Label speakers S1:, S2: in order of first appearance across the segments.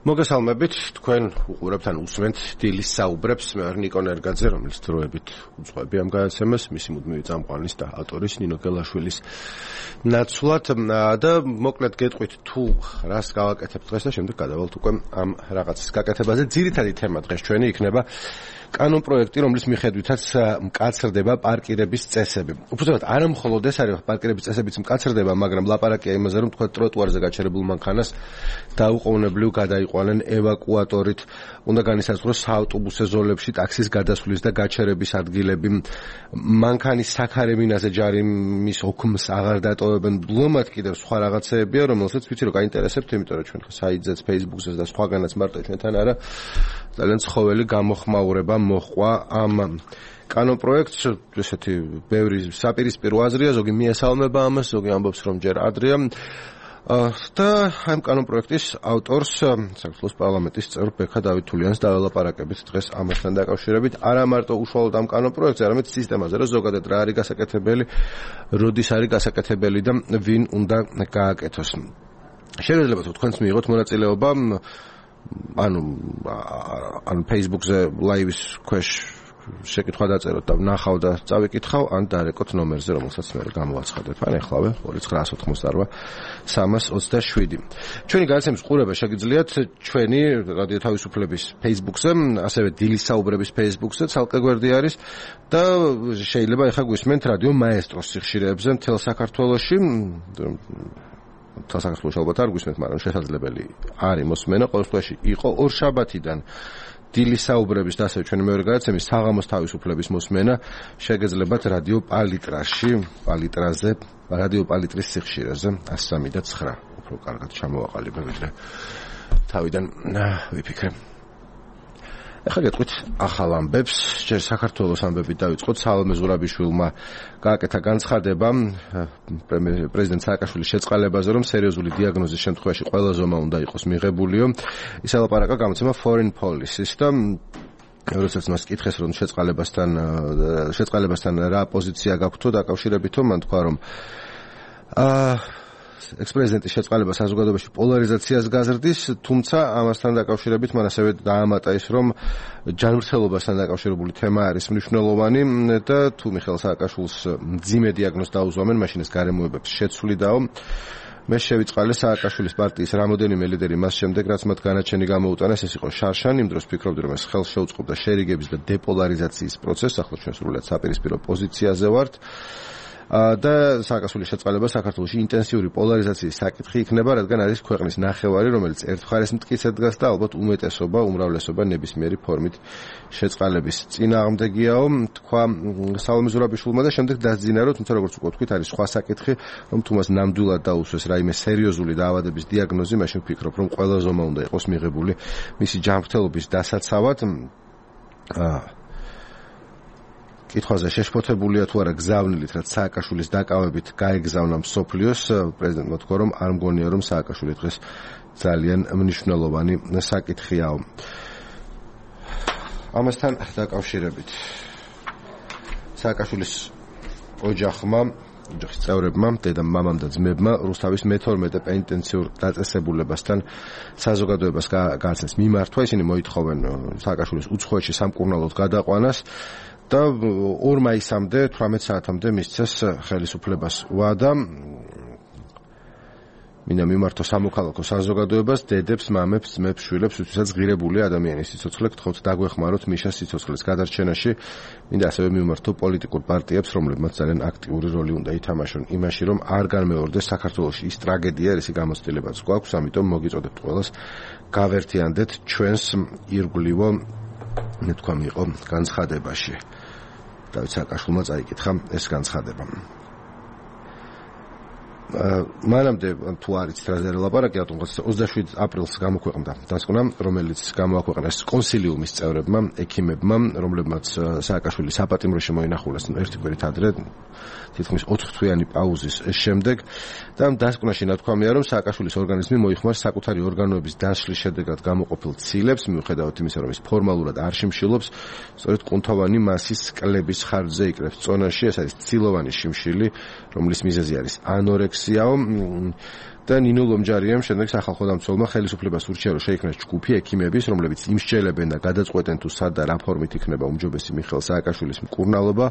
S1: მოგესალმებით, თქვენ უყურებთ ან უსმენთ დილის საუბრებს, მე ვარ ნიკო ნერგაძე, რომელიც დროებით უძღვები ამ გადაცემას, მისი მუდმივი წამყვანის და ავტორის ნინო გელაშვილის ნაცვლად და მოკლედ გეტყვით თუ რას გავაკეთებთ დღეს და შემდეგ გადავალთ უკვე ამ რაღაცის გაკეთებაზე. ძირითადი თემა დღეს ჩვენი იქნება კანონ პროექტი, რომლის მიხედვითაც მკაცრდება პარკირების წესები. უბრალოდ არა მხოლოდ ეს არის პარკირების წესებიც მკაცრდება, მაგრამ ლაპარაკია იმაზე, რომ თქვა ტროტუარზე გაჩერებულ მანქანას დაუყოვნებლივ გადაიყვანენ ევაკუატორით. უნდა განისაზღვროს საავტობუსო ზოლებში ტაქსის გადასვლის და გაჩერების ადგილები. მანქანის საქარემინაზე ჯარიმის ოქმს აღარ დატოვებენ. ბლომად კიდევ სხვა რაღაცეებია, რომელსაც ვიცი რომ გაინტერესებთ, იმიტომ რომ ჩვენ საიტზეც, Facebook-ზეც და სხვაგანაც მარტო ჩვენთან არა ძალიან ცხოველი გამოხმაურება მოჰყვა ამ კანონ პროექტს, ესეთი ბევრი საპირისპირო აზრია, ზოგი მიესალმება ამას, ზოგი ამბობს რომ ჯერ ადრეა. და ამ კანონ პროექტის ავტორს საქართველოს პარლამენტის წევრ ბექა დავითულიანს დაველაპარაკებით დღეს ამასთან დაკავშირებით. არა მარტო უშუალოდ ამ კანონ პროექტზე, არამედ სისტემაზე, რომ ზოგადად რა არის გასაკეთებელი, როდის არის გასაკეთებელი და ვინ უნდა გააკეთოს. შეიძლება თუ თქვენც მიიღოთ მონაწილეობა ანუ Facebook-ზე live-ის ქვეშ შეკითხვა დაწეროთ და ვნახავ და წავიკითხავ, ან დარეკოთ ნომერზე, რომელსაც მე გამოვაცხადებ. ან ეხლავე 2988-327. ჩვენი გადაცემის ყურება შეგიძლიათ ჩვენი რადიო თავისუფლების Facebook-ზე, ასევე დილის საუბრების Facebook-ზე, ცალკე გვერდი არის და შეიძლება ეხლა გვისმენთ რადიო მაესტროს სიხშირეებზე მთელ საქართველოში. საქართველოს ალბათ არ გვისმენთ, მაგრამ შესაძლებელი არის მოსმენა. ყოველ შემთხვევაში იყო ორშაბათიდან დილის საუბრების და ასევე ჩვენი მეორე გადაცემის საღამოს თავისუფლების მოსმენა შეგეძლებათ რადიო პალიტრაში, პალიტრაზე, რადიო პალიტრის სიხშირეზე 103 და 9. უფრო კარგად ჩამოვაყალიბე, ვიდრე თავიდან ვიფიქრე. ახლა გეტყვით ახალ ამბებს. ჯერ საქართველოს ამბებით დავიწყოთ. სალომე ზურაბიშვილმა გააკეთა განცხადება პრეზიდენტ სააკაშვილის შეწყალებაზე, რომ სერიოზული დიაგნოზის შემთხვევაში ყველა ზომა უნდა იყოს მიღებულიო. ის ელაპარაკა გამოცემა Foreign Policy-ს და როდესაც მას კითხეს, რომ შეწყალებასთან რა პოზიცია გაქვთო დაკავშირებითო, მან თქვა, რომ ექს-პრეზიდენტის შეწყალება საზოგადოებაში პოლარიზაციას გაზრდის, თუმცა ამასთან დაკავშირებით მან ასევე დაამატა ის, რომ ჯანმრთელობასთან დაკავშირებული თემა არის მნიშვნელოვანი და თუ მიხეილ სააკაშვილს მძიმე დიაგნოზი დაუზომენ, მაშინ ეს გარემოებებს შეცვლიდაო. მე შევიწყალე სააკაშვილის პარტიის რამოდენიმე ლიდერი მას შემდეგ, რაც მათ განაჩენი გამოუტანეს, ეს იყო შარშან, იმ დროს ფიქრობდი, რომ ეს ხელს შეუწყობდა შერიგების და დეპოლარიზაციის პროცესს, ახლა ჩვენ სრულად საპირისპირო პოზიციაზე ვართ. და სააკაშვილის შეწყალება საქართველოში ინტენსიური პოლარიზაციის საკითხი იქნება, რადგან არის ქვეყნის ნახევარი, რომელიც ერთ მხარეს მტკიცედ დგას და ალბათ უმეტესობა, უმრავლესობა ნებისმიერი ფორმით შეწყალების წინააღმდეგიაო, თქვა სალომე ზურაბიშვილმა და შემდეგ დასძინა, რომ თუმცა როგორც უკვე თქვით, არის სხვა საკითხი, რომ თუ მას ნამდვილად დაუსვეს რაიმე სერიოზული დაავადების დიაგნოზი, მაშინ ვფიქრობ, რომ ყველა ზომა უნდა იყოს მიღებული მისი ჯანმრთელობის დასაცავად. კითხვაზე შეშფოთებულია თუ არა გზავნილით, რაც სააკაშვილის დაკავებით გაეგზავნა მსოფლიოს, პრეზიდენტმა თქვა, რომ არ მგონია, რომ სააკაშვილი დღეს ძალიან მნიშვნელოვანი საკითხიაო. ამასთან დაკავშირებით სააკაშვილის ოჯახმა, ოჯახის წევრებმა, დედამ, მამამ და ძმებმა რუსთავის მე-12 პენიტენციურ დაწესებულებასთან საზოგადოებას გააცნეს მიმართვა. ისინი მოითხოვენ სააკაშვილის უცხოეთში სამკურნალოდ გადაყვანას და 2 მაისამდე 18 საათამდე მისცეს ხელისუფლებას ვადა. მინდა მიმართო სამოქალაქო საზოგადოებას, დედებს, მამებს, ძმებს, შვილებს, ვისაც ღირებული ადამიანის სიცოცხლე გთხოვთ დაგვეხმაროთ მიშას სიცოცხლის გადარჩენაში. მინდა ასევე მიმართო პოლიტიკურ პარტიებს, რომლებმაც ძალიან აქტიური როლი უნდა ითამაშონ იმაში, რომ არ განმეორდეს საქართველოში ის ტრაგედია, რისი გამოცდილებაც გვაქვს, ამიტომ მოგიწოდებთ ყველას გავერთიანდეთ ჩვენს ირგვლივო თქვა მიიღო განცხადებაში. დავით სააკაშვილმა წაიკითხა ეს განცხადება. მანამდე თუ არის რაზე ლაპარაკი, 27 აპრილს გამოქვეყნდა დასკვნა, რომელიც გამოაქვეყნეს კონსილიუმის წევრებმა, ექიმებმა, რომლებმაც სააკაშვილი საპატიმროში მოინახულეს ერთი კვირით ადრე, თითქმის 4 თვიანი პაუზის შემდეგ და ამ დასკვნაში ნათქვამია, რომ სააკაშვილის ორგანიზმი მოიხმარს საკუთარი ორგანოების დაშლის შედეგად გამოყოფილ ცილებს, მიუხედავად იმისა, რომ ის ფორმალურად არ შიმშილობს, სწორედ კუნთოვანი მასის კლების ხარჯზე იკრებს წონაში. ეს არის ცილოვანი შიმშილი, რომლის მიზეზი არის ანორექსია სიაო და ნინო ლომჯარიამ შემდეგ სახალხო დამცველმა ხელისუფლებას ურჩია, რომ შეიქმნას ჯგუფი ექიმების, რომლებიც იმსჯელებენ და გადაწყვეტენ თუ სად და რა ფორმით იქნება უმჯობესი მიხეილ სააკაშვილის მკურნალობა.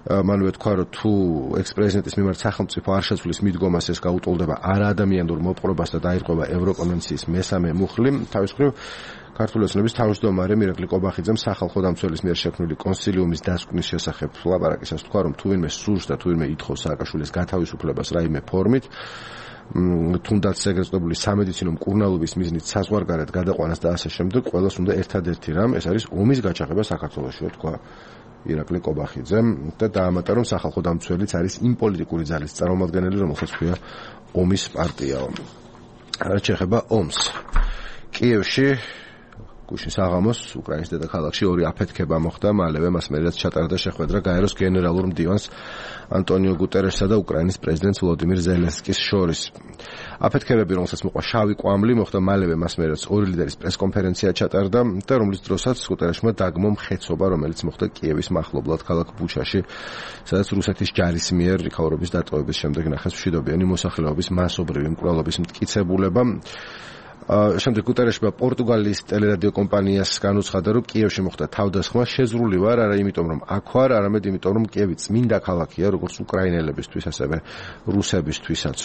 S1: მან ვეთქვა, რომ თუ ექს-პრეზიდენტის მიმართ სახელმწიფო არ შეცვლის მიდგომას, ეს გაუტოლდება არაადამიანურ მოპყრობას და დაირღვევა ევროკონვენციის მესამე მუხლი. თავის მხრივ ქართული ოცნების თავმჯდომარე მირაკლი კობახიძემ სახალხო დამცველის მიერ შექმნილი კონსილიუმის დასკვნის შესახებ ლაპარაკისას თქვა, რომ თუ ვინმე სურს და თუ ვინმე ითხოვს სააკაშვილის გათავისუფლებას რაიმე ფორმით, თუნდაც ეგრეთწოდებული სამედიცინო მკურნალობის მიზნით საზღვარგარეთ გადაყვანას და ასე შემდეგ, ყველას უნდა ერთადერთი რამ, ეს არის ომის გაჩაღება საქართველოში, თქვა ირაკლი კობახიძემ და დაამატა, რომ სახალხო დამცველიც არის იმ პოლიტიკური ძალის წარმომადგენელი, რომელსაც ქვია ომის პარტიაო. რაც შეეხება ომს. კიევში გუშინ საღამოს უკრაინის დედაქალაქში ორი აფეთქება მოხდა, მალევე მას მერეც ჩატარდა შეხვედრა გაეროს გენერალურ მდივანს ანტონიო გუტერესსა და უკრაინის პრეზიდენტს ვლოდიმირ ზელენსკის შორის. აფეთქებები, რომელსაც მოყვა შავი კვამლი, მოხდა მალევე მას მერეც ორი ლიდერის პრესკონფერენცია ჩატარდა და რომლის დროსაც გუტერესმა დაგმო მხეცობა, რომელიც მოხდა კიევის მახლობლად ქალაქ ბუჩაში, სადაც რუსეთის ჯარის მიერ იქაურობის დატოვების შემდეგ ნახეს მშვიდობიანი მოსახლეობის მასობრივი მკვლელობის მტკიცებულება. შემდეგ გუტერესმა პორტუგალიის ტელერადიო კომპანიას განუცხადა, რომ კიევში მოხდა თავდასხმა, შეზღრული ვარ, არა იმიტომ, რომ აქ ვარ, არამედ იმიტომ, რომ კიევი წმინდა ქალაქია, როგორც უკრაინელებისთვის, ასევე რუსებისთვისაც.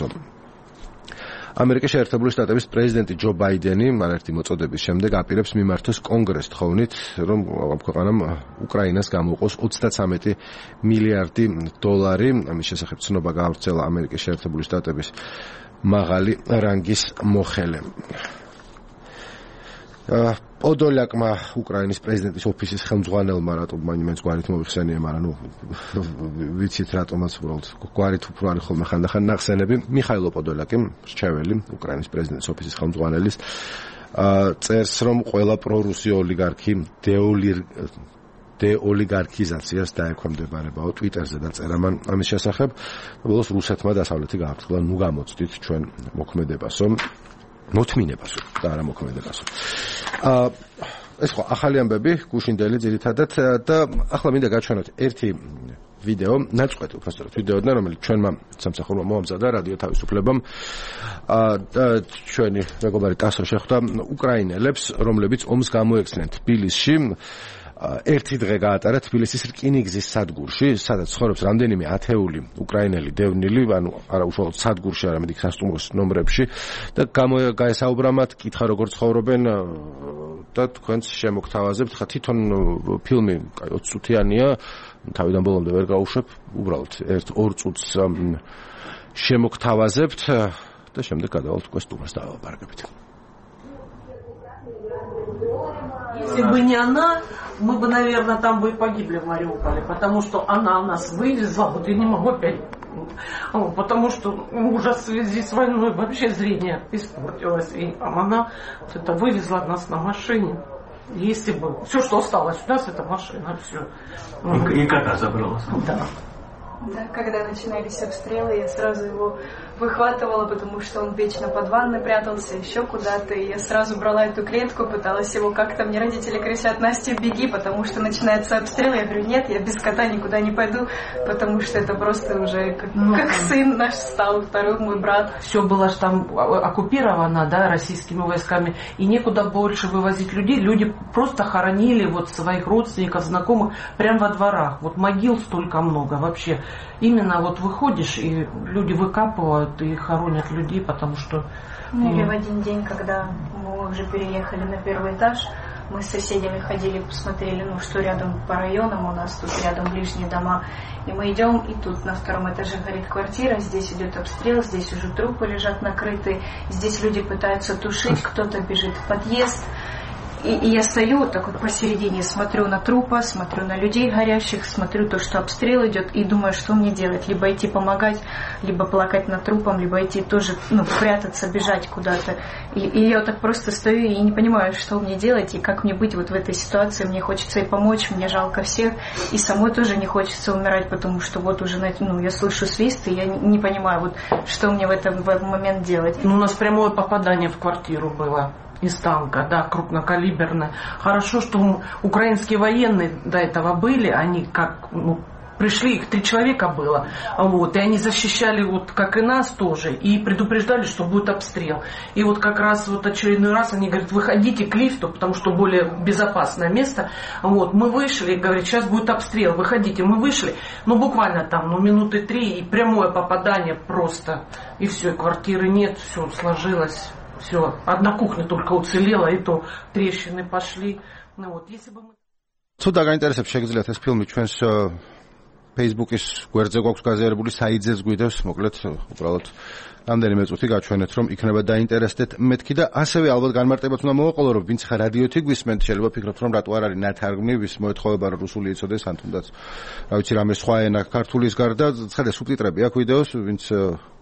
S1: ამერიკის შეერთებული შტატების პრეზიდენტი ჯო ბაიდენი არაერთი მოწოდების შემდეგ აპირებს მიმართოს კონგრესს თხოვნით, რომ ქვეყანამ უკრაინას გამოუყოს 33 მილიარდი დოლარი. ამის შესახებ ცნობა გაავრცელა ამერიკის შეერთებული შტატების მაღალი რანგის მოხელე. პოდოლაკმა უკრაინის პრეზიდენტის ოფისის ხელმძღვანელმა რატომ მაინც გვარით მოიხსენია, მაგრამ ვიცით რატომაც უბრალოდ გვარით უფრო არის ხოლმე ხანდახან ნახსენები. მიხაილო პოდოლაკი, რჩეველი უკრაინის პრეზიდენტის ოფისის ხელმძღვანელის, წერს, რომ ყველა პრორუსი ოლიგარქი დეოლიგარქიზაციას დაექვემდებარებაო. ტვიტერზე დაწერა მან ამის შესახებ. ბოლოს რუსეთმა დასავლეთი გააფრთხილა, ნუ გამოცდით ჩვენ მოქმედებასო, მოთმინებასო და არა მოქმედებასო. ეს ხო ახალი ამბები, გუშინდელი ძირითადად და ახლა მინდა გაჩვენოთ ერთი ვიდეო, ნაწყვეტი უბრალოდ ვიდეოდან, რომელიც ჩვენმა სამსახურმა მოამზადა რადიო თავისუფლებამ და ჩვენი მეგობარი ტასო შეხვდა უკრაინელებს, რომლებიც ომს გამოექცნენ თბილისში. ერთი დღე გაატარა თბილისის რკინიგზის სადგურში, სადაც ცხოვრობს რამდენიმე ათეული უკრაინელი დევნილი, ანუ არა უშუალოდ სადგურში, არამედ იქ სასტუმროს ნომრებში და გაესაუბრა მათ, კითხა როგორ ცხოვრობენ და თქვენს შემოგთავაზებთ. ხა თვითონ ფილმი 20 წუთიანია, თავიდან ბოლომდე ვერ გავუშვებ, უბრალოდ 1-2 წუთს შემოგთავაზებთ და შემდეგ გადავალთ უკვე სტუმარს დავაპარაკებით.
S2: Если бы не она, мы бы, наверное, там бы и погибли в Мариуполе, потому что она нас вывезла, вот я не могу опять, потому что ужас в связи с войной, вообще зрение испортилось, и она вот это вывезла нас на машине. Если бы все, что осталось у нас, это машина, все.
S3: И кота забрала.
S2: Да.
S4: Да, когда начинались обстрелы, я сразу его выхватывала, потому что он вечно под ванной прятался, еще куда-то. И я сразу брала эту клетку, пыталась его как-то... Мне родители кричат: Настя, беги, потому что начинается обстрел. Я говорю: нет, я без кота никуда не пойду, потому что это просто уже как сын наш стал, второй мой брат.
S2: Все было же там оккупировано, да, российскими войсками, и некуда больше вывозить людей. Люди просто хоронили вот своих родственников, знакомых прямо во дворах. Вот могил столько много вообще. Именно вот выходишь, и люди выкапывают и хоронят людей, потому что...
S4: Или в один день, когда мы уже переехали на первый этаж, мы с соседями ходили, посмотрели, что рядом по районам у нас, тут рядом ближние дома. И мы идем, и тут на втором этаже горит квартира, здесь идет обстрел, здесь уже трупы лежат накрытые, здесь люди пытаются тушить, кто-то бежит в подъезд. И я стою вот так вот посередине, смотрю на трупы, смотрю на людей горящих, смотрю то, что обстрел идет, и думаю, что мне делать. Либо идти помогать, либо плакать над трупом, либо идти тоже, прятаться, бежать куда-то. И я вот так просто стою и не понимаю, что мне делать, и как мне быть вот в этой ситуации. Мне хочется и помочь, мне жалко всех, и самой тоже не хочется умирать, потому что вот уже, я слышу свист, и я не понимаю, вот что мне в этот момент делать.
S2: У нас прямое попадание в квартиру было. Из танка, да, крупнокалиберная. Хорошо, что украинские военные до этого были, они как, пришли, их 3 человека было, вот, и они защищали, вот, как и нас тоже, и предупреждали, что будет обстрел. И вот как раз вот очередной раз они говорят, выходите к лифту, потому что более безопасное место. Вот, мы вышли, говорят, сейчас будет обстрел, выходите. Мы вышли, ну, буквально там, ну, минуты 3, и прямое попадание просто. И все, квартиры нет, все сложилось, все. Одна кухня только уцелела, и то трещины пошли. Ну, вот, если бы мы...
S1: Ცუდა გაინტერესებს შეგიძლიათ ეს ფილმი ჩვენს Facebook-ის გვერდზე გვაქვს გაზიარებული საიძეს გვიდევს, მოკლედ უბრალოდ რამდენიმე წუთი გაჩვენეთ, რომ იქნება დაინტერესდეთ მეთქი და ასევე ალბათ განმარტებაც უნდა მოვაყოლო, რომ ვინც ხარ რადიოთი გვისმენთ, შეიძლება ფიქრობთ, რომ რატო არ არის ნათარგმნი, ვის მოეთხოვება რომ რუსული იცოდეს, ან თუნდაც რა ვიცი რამე სხვა ენა ქართულის გარდა, ხედე სუბტიტრები აქვს ვიდეოს, ვინც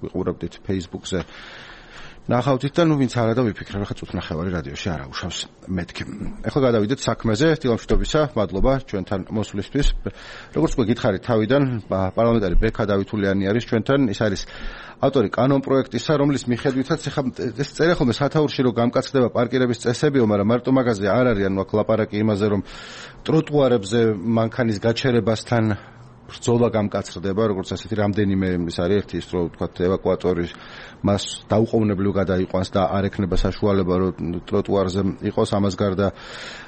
S1: ვიყურებდით Facebook-ზე. ნახავთ და ნუ ვინც არა და ვიფიქრე რა ხა წუთნახევარი რადიოში არ აუშავს მეთქი. ეხლა გადავიდეთ საქმეზე, დილამშვიდობისა, მადლობა ჩვენთან მოსვლისთვის. როგორც გითხარით თავიდან, პარლამენტარი ბექა დავითულიანი არის ჩვენთან, ის არის ავტორი კანონ პროექტისა, რომლის მიხედვითაც ეხლა ეს წერია ხოლმე სათაურში რომ გამკაცდება პარკირების წესებიო, მაგრამ მარტო მაგაზე არ არის, ანუ აქ ლაპარაკი იმაზე რომ ტროტუარებზე მანქანის გაჩერებასთან ბრძოლა გამკაცრდება, როგორც ასეთი რამდენიმე ის არის ერთი ის რომ თქვა ევაკუატორი მას დაუყოვნებლივ გადაიყვანს და არ ექნება საშუალება რომ ტროტუარზე იყოს, ამას გარდა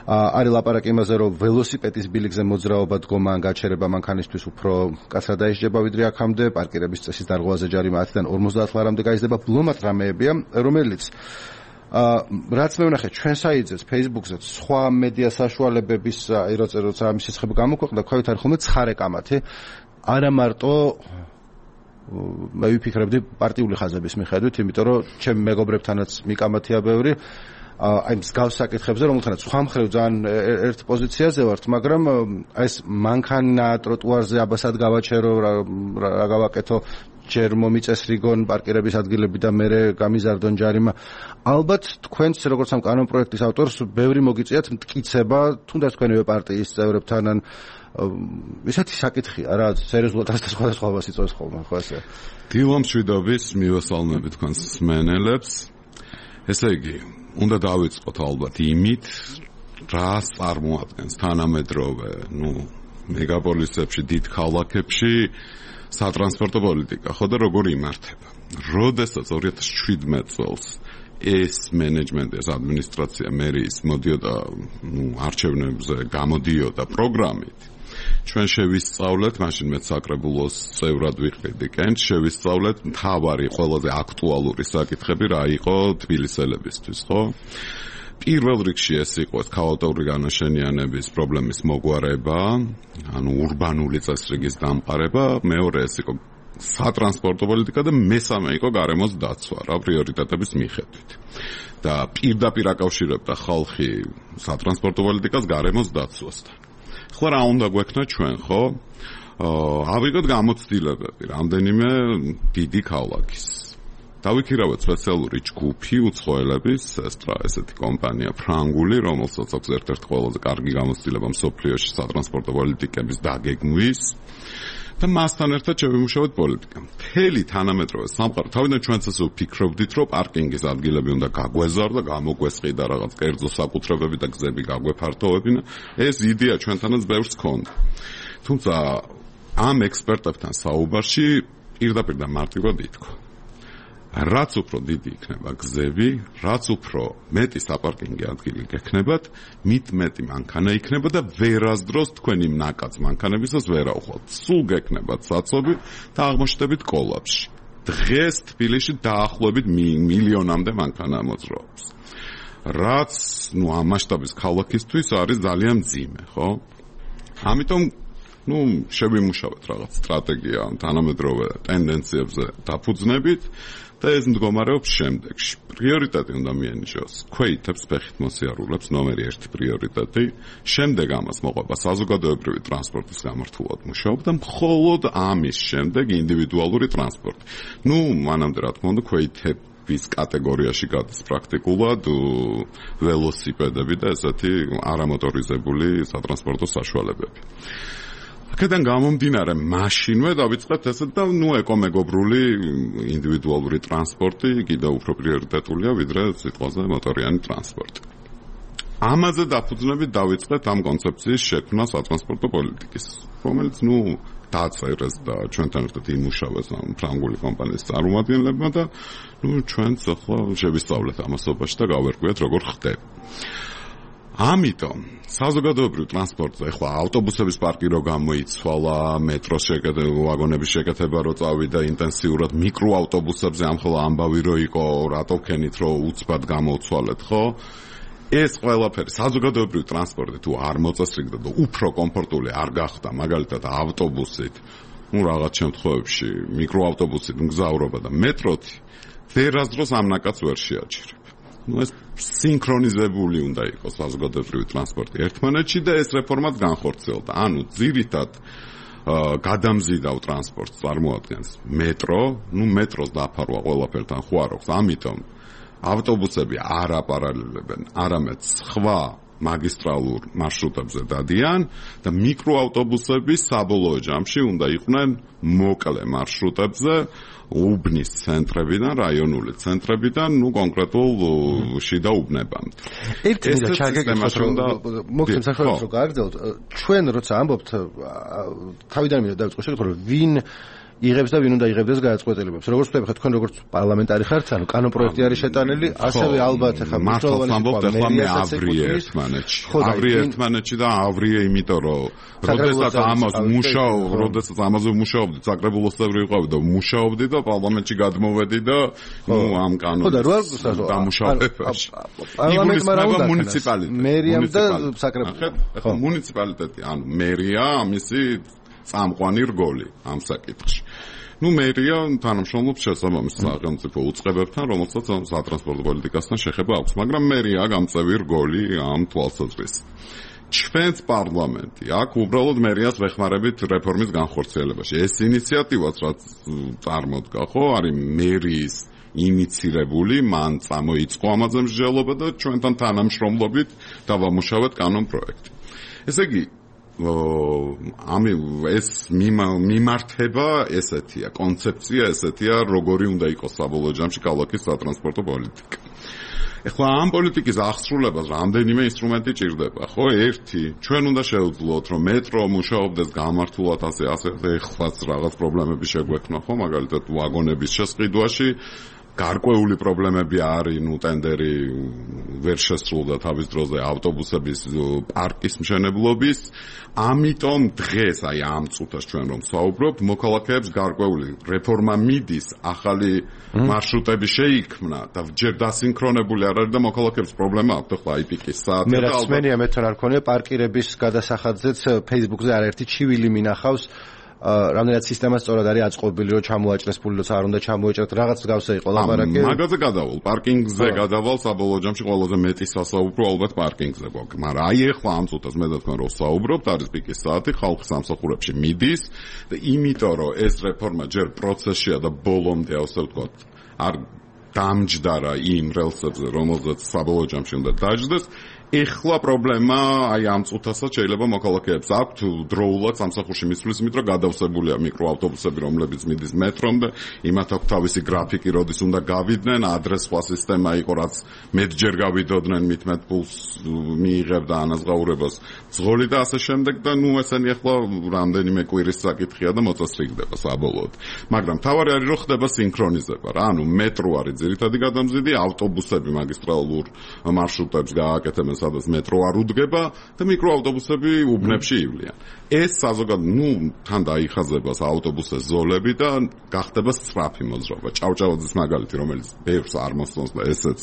S1: არის ლაპარაკი იმაზე რომ ველოსიპედის ბილიკზე მოძრაობა დგომა ან გაჩერება მანქანისთვის უფრო კაცრად დაისჯება ვიდრე აქამდე, პარკირების წესის დარღვევაზე ჯარიმა 10-დან 50 ლარამდე გაიზრდება, ბლომად რამეებია, რომელიც რაც მე ვნახე ჩვენ საიძეს Facebook-ზე სხვა მედია საშუალებების როცა ამის შესახებ გამოქვეყნდა, ქვევით არის ხოლმე ცხარე კამათი, არა მარტო მე ვიფიქრებდი პარტიული ხაზების მიხედვით, იმიტომ რომ ჩემ მეგობრებთანაც მიკამათია ბევრი, აი მსგავს საკითხებზე, რომელთანაც სხვა მხრივ ძალიან ერთ პოზიციაზე ვართ, მაგრამ ეს მანქანა ტროტუარზე აბასად გავაჩერო, რა გავაკეთო, ჯერ მომიწეს რიგონ პარკირების ადგილები და მერე გამიზარდონ ჯარიმა. ალბათ თქვენც როგორც ამ კანონ პროექტის ავტორს ბევრი მოგიწიათ მტკიცება, თუნდაც თქვენივე პარტიის წევრებთან ან ისეთი საკითხია რა, სერიოზულად და სხვადასხვაობას იწვევს ხოლმე, ხო ასე?
S5: დილამშვიდობის მივესალმები თქვენს მსმენელებს. ესე იგი, უნდა დავიწყოთ ალბათ იმით, რას წარმოადგენს თანამედროვე, მეგაპოლისებში, დიდ ქალაქებში სატრანსპორტო პოლიტიკა, ხო და როგორ იმართება. როდესაც 2017 წელს ეს მენეჯმენტი, ეს ადმინისტრაცია მერიის მოდიოდა არჩევნებზე გამოდიოდა პროგრამით, ჩვენ შევისწავლეთ, მაშინ მეც საკრებულოს წევრად ვიყრიდი კენჭ, შევისწავლეთ მთავარი ყველაზე აქტუალური საკითხები რა იყო თბილისელებისთვის, ხო? პირველ რიგში ეს იყო ქაოტური განაშენიანების პრობლემის მოგვარება, ანუ ურბანული წესრიგის დამყარება, მეორე ეს იყო სატრანსპორტო პოლიტიკა და მესამე იყო გარემოს დაცვა, რა პრიორიტეტების მიხედვით. და პირდაპირ აკავშირებდა ხალხი სატრანსპორტო პოლიტიკას გარემოს დაცვასთან. ხო რა უნდა გვექნა ჩვენ, ხო? ავიღოთ გამოცდილებები რამდენიმე დიდი ქალაქის. დავიქირავეთ სპეციალური ჯგუფი უცხოელების, ესეთი კომპანია ფრანგული, რომელსაც აქვს ერთ-ერთი ყველაზე კარგი გამოცდილება მსოფლიოში სატრანსპორტო პოლიტიკების დაგეგმვის და მასთან ერთად შევიმუშავეთ პოლიტიკა. მთელი თანამედროვე სამყარო, თავიდან ჩვენც ასე ვფიქრობდით, რომ პარკინგის ადგილები უნდა გაგვეზარდა, გამოგვესყიდა რაღაც კერძო საკუთრებები და გზები გაგვეფართოვებინა. ეს იდეა ჩვენთანაც ბევრს ჰქონდა. თუმცა ამ ექსპერტებთან საუბარში პირდაპირ და მარტივად ითქვა. რაც უფრო დიდი იქნება გზები, რაც უფრო მეტი საპარკინგო ადგილი გექნებათ, მით მეტი მანქანა იქნება და ვერასდროს თქვენი ნაკაც მანქანებისას ვერაუხვალთ. სულ გექნებათ საწობი და აღმოჩნდებით კოლაფში. დღეს თბილისში დაახლოებით მილიონამდე მანქანა მოძრაობს. რაც, ამ მასშტაბის ქალაქისთვის არის ძალიან მძიმე, ხო? ამიტომ შევიმუშავეთ რაღაც სტრატეგია თანამედროვე ტენდენციებზე დაფუძნებით და ეს მდგომარეობს შემდეგში. პრიორიტეტი უნდა მიენიჭოს ქვეითებს ფეხით მოსიარულებს, ნომერი 1 პრიორიტეტი, შემდეგ ამას მოყვება საზოგადოებრივი ტრანსპორტის გამართულად მუშაობა და მხოლოდ ამის შემდეგ ინდივიდუალური ტრანსპორტი. მანამდე რა თქმა უნდა ქვეითების კატეგორიაში გადის პრაქტიკულად ველოსიპედები და ესეთი არამოტორიზებული სატრანსპორტო საშუალებები. აქედან გამომდინარე, მაშინვე დავიწყებთ ესეთ და ეკომეგობრული ინდივიდუალური ტრანსპორტი კიდევ უფრო პრიორიტეტულია ვიდრე სიტყვაზე მოტორიანი ტრანსპორტი. ამაზე დაფუძნებით დავიწყეთ ამ კონცეფციის შექმნა სატრანსპორტო პოლიტიკის, რომელიც დაწერეს და ჩვენთან ერთად იმუშავეს ამ ფრანგული კომპანიის წარმომადგენლებმა და ჩვენც ახლა შევისწავლეთ ამასობაში და გავერკვიეთ როგორ ხდება. ამიტომ საზოგადოებრივ ტრანსპორტზე ახლა ავტობუსების პარკი რო გამოიცვალა, მეტროს ვაგონების შეკეთება რო წავიდა ინტენსიურად, მიკროავტობუსებზე ამხელა ამბავი რო იყო, რატო ქენით რო უცბად გამოცვალეთ, ხო? ეს ყველაფერი საზოგადოებრივ ტრანსპორტი თუ არ მოწესრიგდა და უფრო კომფორტული არ გახდა, მაგალითად ავტობუსით, რაღაც შემთხვევებში მიკროავტობუსით მგზავრობა და მეტროთი, ვერასდროს ამ ნაკადს ვერ შეაჩერებ. ეს სინქრონიზებული უნდა იყოს საზოგადოებრივი ტრანსპორტი ერთმანეთში და ეს რეფორმაც განხორციელდა. ანუ ძირითად გადამზიდავ ტრანსპორტს წარმოადგენს მეტრო, მეტროს დაფარვა ყველაფერთან ხო არ აქვს, ამიტომ ავტობუსები არ აპარალელებენ, არამედ სხვა მაგისტრალურ მარშრუტებზე დადიან და მიკროავტობუსები საბოლოო ჯამში უნდა იყვნენ მოკლე მარშრუტებზე, უბნის ცენტრებიდან, რაიონული ცენტრებიდან, კონკრეტულ შიდა უბნებამდე.
S1: ერთი მინდა ჩაგეკითხოთ, მოგცემ საშუალებას რომ გააგრძელოთ. ჩვენ როცა ამბობთ, თავიდან მინდა დავიწყო შეკითხვა, რომ ვინ იღებს და ვინ უნდა იღებდეს გადაწყვეტილებებს. როგორც ვთქვი, თქვენ როგორც პარლამენტარი ხართ, ანუ კანონპროექტი არის შეტანილი, ასევე ალბათ ახლა
S5: მართლაც ავრიე ერთმანეთში. ავრიე ერთმანეთში და ავრიე იმიტომ რომ როდესაც ამაზე ვმუშაობდი, საკრებულოს წევრი ვიყავი და ვმუშაობდი და პარლამენტში გადმოვედი და ამ კანონის დამუშავებაში.
S1: პარლამენტმა რა უნდა
S5: მუნიციპალიტეტი.
S1: მერიამ და საკრებულო.
S5: ხო, მუნიციპალიტეტი, ანუ მერია, ამისი წამყვანი რგოლი ამ საკითხში. მერია თანამშრომლობს შესაბამის სახელმწიფო უწყებებთან, რომელსაც სატრანსპორტო პოლიტიკასთან შეხება აქვს, მაგრამ მერია გამწევი რგოლი ამ თვალსაზრისით. ჩვენც პარლამენტი აქ უბრალოდ მერიას ვეხმარებით რეფორმის განხორციელებაში. ეს ინიციატივაც რაც წარმოდგა, ხო, არის მერიის ინიცირებული, მან წამოიწყო ამაზე მსჯელობა და ჩვენთან თანამშრომლობით დავამუშავეთ კანონპროექტი. ესე იგი ეს მიმართება ესეთია, კონცეფცია ესეთია, როგორი უნდა იყოს საბოლოო ჯამში ქალაქის სატრანსპორტო პოლიტიკა. ეხლა ამ პოლიტიკის აღსრულებას რამდენიმე ინსტრუმენტი ჭირდება, ხო? ერთი, ჩვენ უნდა შევძლოთ, რომ მეტრო მუშაობდეს გამართულად ასე ეხლაც რაღაც პრობლემები შეგვექნა, ხო? მაგალითად, ვაგონების შესყიდვაში გარკვეული პრობლემები არის, ტენდერი ვერ შესრულდა თავის დროზე ავტობუსების პარკის მშენებლობის, ამიტომ დღეს ამ წუთას ჩვენ რომ ვსაუბრობთ, მოქალაქეებს გარკვეული რეფორმა მიდის, ახალი მარშრუტები შეიქმნა და ჯერ დასინქრონებული არ არის და მოქალაქეებს პრობლემა აქვს, ხო, აი პიკის საათი.
S1: მე რაც მენია მეთქვა არ ქონია პარკირების გადასახადზეც Facebook-ზე არაერთი ჩივილი მინახავს. რამდენად სისტემა სწორად არის აწყობილი, რომ ჩამოაჭრეს ფული, როცა არ უნდა ჩამოეჭრათ, რაღაც გავსა იყო ლაპარაკი.
S5: მაგაზე გადავალ, პარკინგზე გადავალ, საბოლოო ჯამში ყველაზე მეტი სასაუბრო ალბათ პარკინგზე გვაქვს. მაგრამ აი ეხლა ამ წუთას მე და თქვენ რო ვსაუბრობთ, არის პიკის საათი, ხალხი სამსახურებში მიდის და იმიტომ რომ ეს რეფორმა ჯერ პროცესშია და ბოლომდე ასე ვთქვათ, არ დამჯდარა იმ რელსებზე, რომელზეც საბოლოო ჯამში უნდა დაჯდეს. ეხლა პრობლემა აი ამ წუთასაც შეიძლება მოქალაქეებს აქვთ დროულად სამსახურში მისვლის, იმიტომ რომ გადავსებულია მიკროავტობუსები, რომლებიც მიდის მეტრომდე, იმათ აქვს თავისი გრაფიკი, როდის უნდა გავიდნენ, ადრე სხვა სისტემა იყო, რაც მეტჯერ გავიდოდნენ, მით პულს მიიღებდა ანაზღაურებას ძღოლი და ასე შემდეგ და ესენი ეხლა რამდენიმე კვირის საკითხია და მოწესრიგდება საბოლოოდ. მაგრამ თავარი არის რომ ხდება სინქრონიზება რა, ანუ მეტრო არის ძირითადი გადამზიდი, ავტობუსები მაგისტრალურ მარშრუტებს გააკეთებენ, სადაც მეტრო არ უდგება და მიკროავტობუსები უბნებში ივლიან. ეს საზოგადოებრივ თან დაიხაზება ავტობუსის ზოლები და გახდება სწრაფი მოძრაობა. ჭავჭავაძის მაგალითი, რომელიც ბევრს არ მოსწონს და ესეც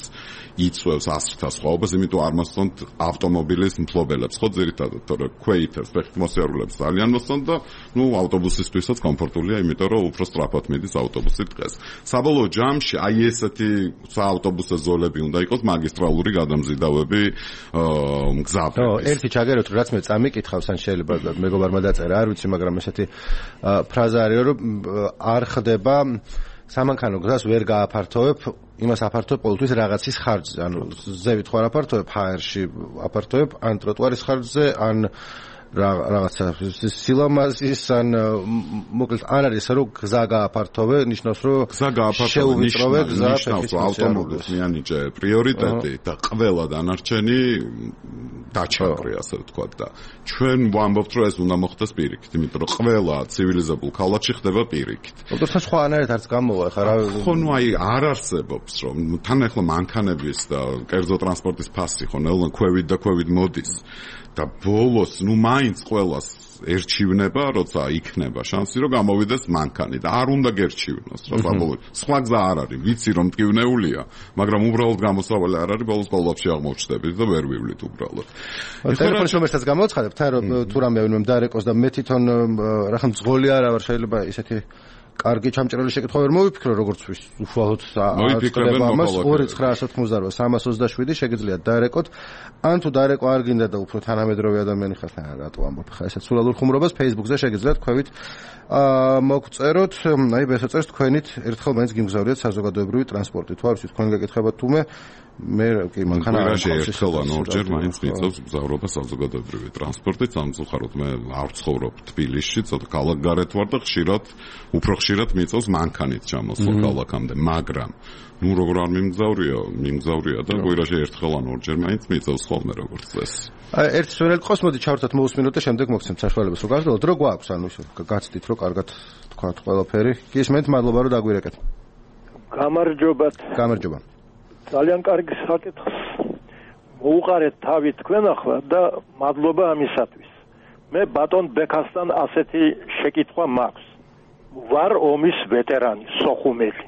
S5: იწვევს ასრთა სხვაობას, იმიტომ არ მოსწონთ ავტომობილის მფლობელებს, ხო ძირითადად, თორე ქვეითებს, ფეხით მოსიარულეებს ძალიან მოსწონთ და ავტობუსისთვისაც კომფორტულია, იმიტომ რომ უფრო სწრაფად მიდის ავტობუსი დღეს. საბოლოო ჯამში აი ესეთი საავტობუსო ზოლები უნდა იყოს მაგისტრალური გადამზიდავები მგზავრების.
S1: ერთი ჩაგეროთ, რაც მე წამიკითხავს, ან შეიძლება მეგობარმა დაწერა, არ ვიცი, მაგრამ ესეთი ფრაზა არის, რომ არ ხდება სამანქანო გზას ვერ გააფართოვებ, იმას აფართოვებ ყოველთვის რაღაცის ხარჯზე, ანუ ზევით ხარ აფართოვებ, ჰაერში აფართოვებ, ან ტროტუარის ხარჯზე, ან რაღაცა სილამაზის ან მოკლედ არ არის რომ გზა გააფართოვე, ნიშნავს რომ
S5: გზა გააფართოვე, ნიშნავს რომ ავტომობილს მიანიჭე პრიორიტეტი და ყველა დანარჩენი დაჩაგრე, ასე ვთქვათ და ჩვენ ვამბობთ რომ ეს უნდა მოხდეს პირიქით, იმიტომ რომ ყველა ცივილიზებულ ქალაქში ხდება პირიქით.
S1: ოღონდ სხვა ანარეთ არც გამოვა ხა რა
S5: ხო ნუ აი არ არსებობს რომ თან ახლა მანქანების და კერძო ტრანსპორტის ფასი ხო ნელ ქვევით მოდის და ბოლოს ნუ მაინც ყველას ერჩივნება, როცა იქნება შანსი რომ გამოვიდეს მანქანი და არ უნდა გერჩივნოს რა საბოლოოდ. სხვა გზა არ არის, ვიცი რომ მტკივნეულია, მაგრამ უბრალოდ გამოსავალი არ არის, ბოლოს კოლაფსში აღმოჩნდებით და ვერ ვივლით უბრალოდ.
S1: ტელეფონის ნომერსაც გამოცხადებ, თან რომ თუ რამე ვინმე დაარეკოს და მე თვითონ რახან მძღოლი არა ვარ, შეიძლება ისეთი კარგი ჩამჭრელი შეკითხვა ვერ მოვიფიქრო, როგორც უშუალოდ
S5: მოიფიქრებენ
S1: ამას 2987 შეგიძლიათ დაარეკოთ. ან თუ დაარეკვა არ გინდა და უფრო თანამედროვე ადამიანი ხართ, რატო ამბობ ხა ესეც სულალურ ხუმრობას Facebook-ზე შეგიძლიათ ქვევით მოგწეროთ, აი ბესოწერს თქვენით ერთხელ მაინც გიმგზავრიათ საზოგადოებრივი ტრანსპორტით. თუ არის თქვენ გეკითხებათ თუმე მე კი მანქანა არ
S5: ერთხელ ან ორჯერ მაინც მიწევს მგზავრობა საზოგადოებრივი ტრანსპორტით, სამწუხაროდ მე არ ვცხოვრობ თბილისში, ცოტა ქალაქგარეთ ვარ და უფრო ხშირად მიწევს მანქანით ჩამოსვლა ქალაქამდე, მაგრამ ნუ როგორ არ მიმგზავრია და კვირაში ერთხელ ან ორჯერ მაინც მიწევს ხოლმე როგორც წესი.
S1: აი ერთ სვენელ ყოს მოდი ჩავრთოთ მოусმინოთ და შემდეგ მოგცემთ საშუალებას რომ გასდოთ რო გვაქვს ანუ ისე გაცდით რომ კარგად თქვათ ყველაფერი. გისმენთ, მადლობა რომ დაგვირეკეთ. გამარჯობა.
S6: ძალიან კარგი საკითხი. მოუყარეთ თავი თქვენ ახლა და მადლობა ამისათვის. მე ბატონ ბექასთან ასეთი შეკითხვა მაქვს. ვარ ომის ვეტერანი, სოხუმელი.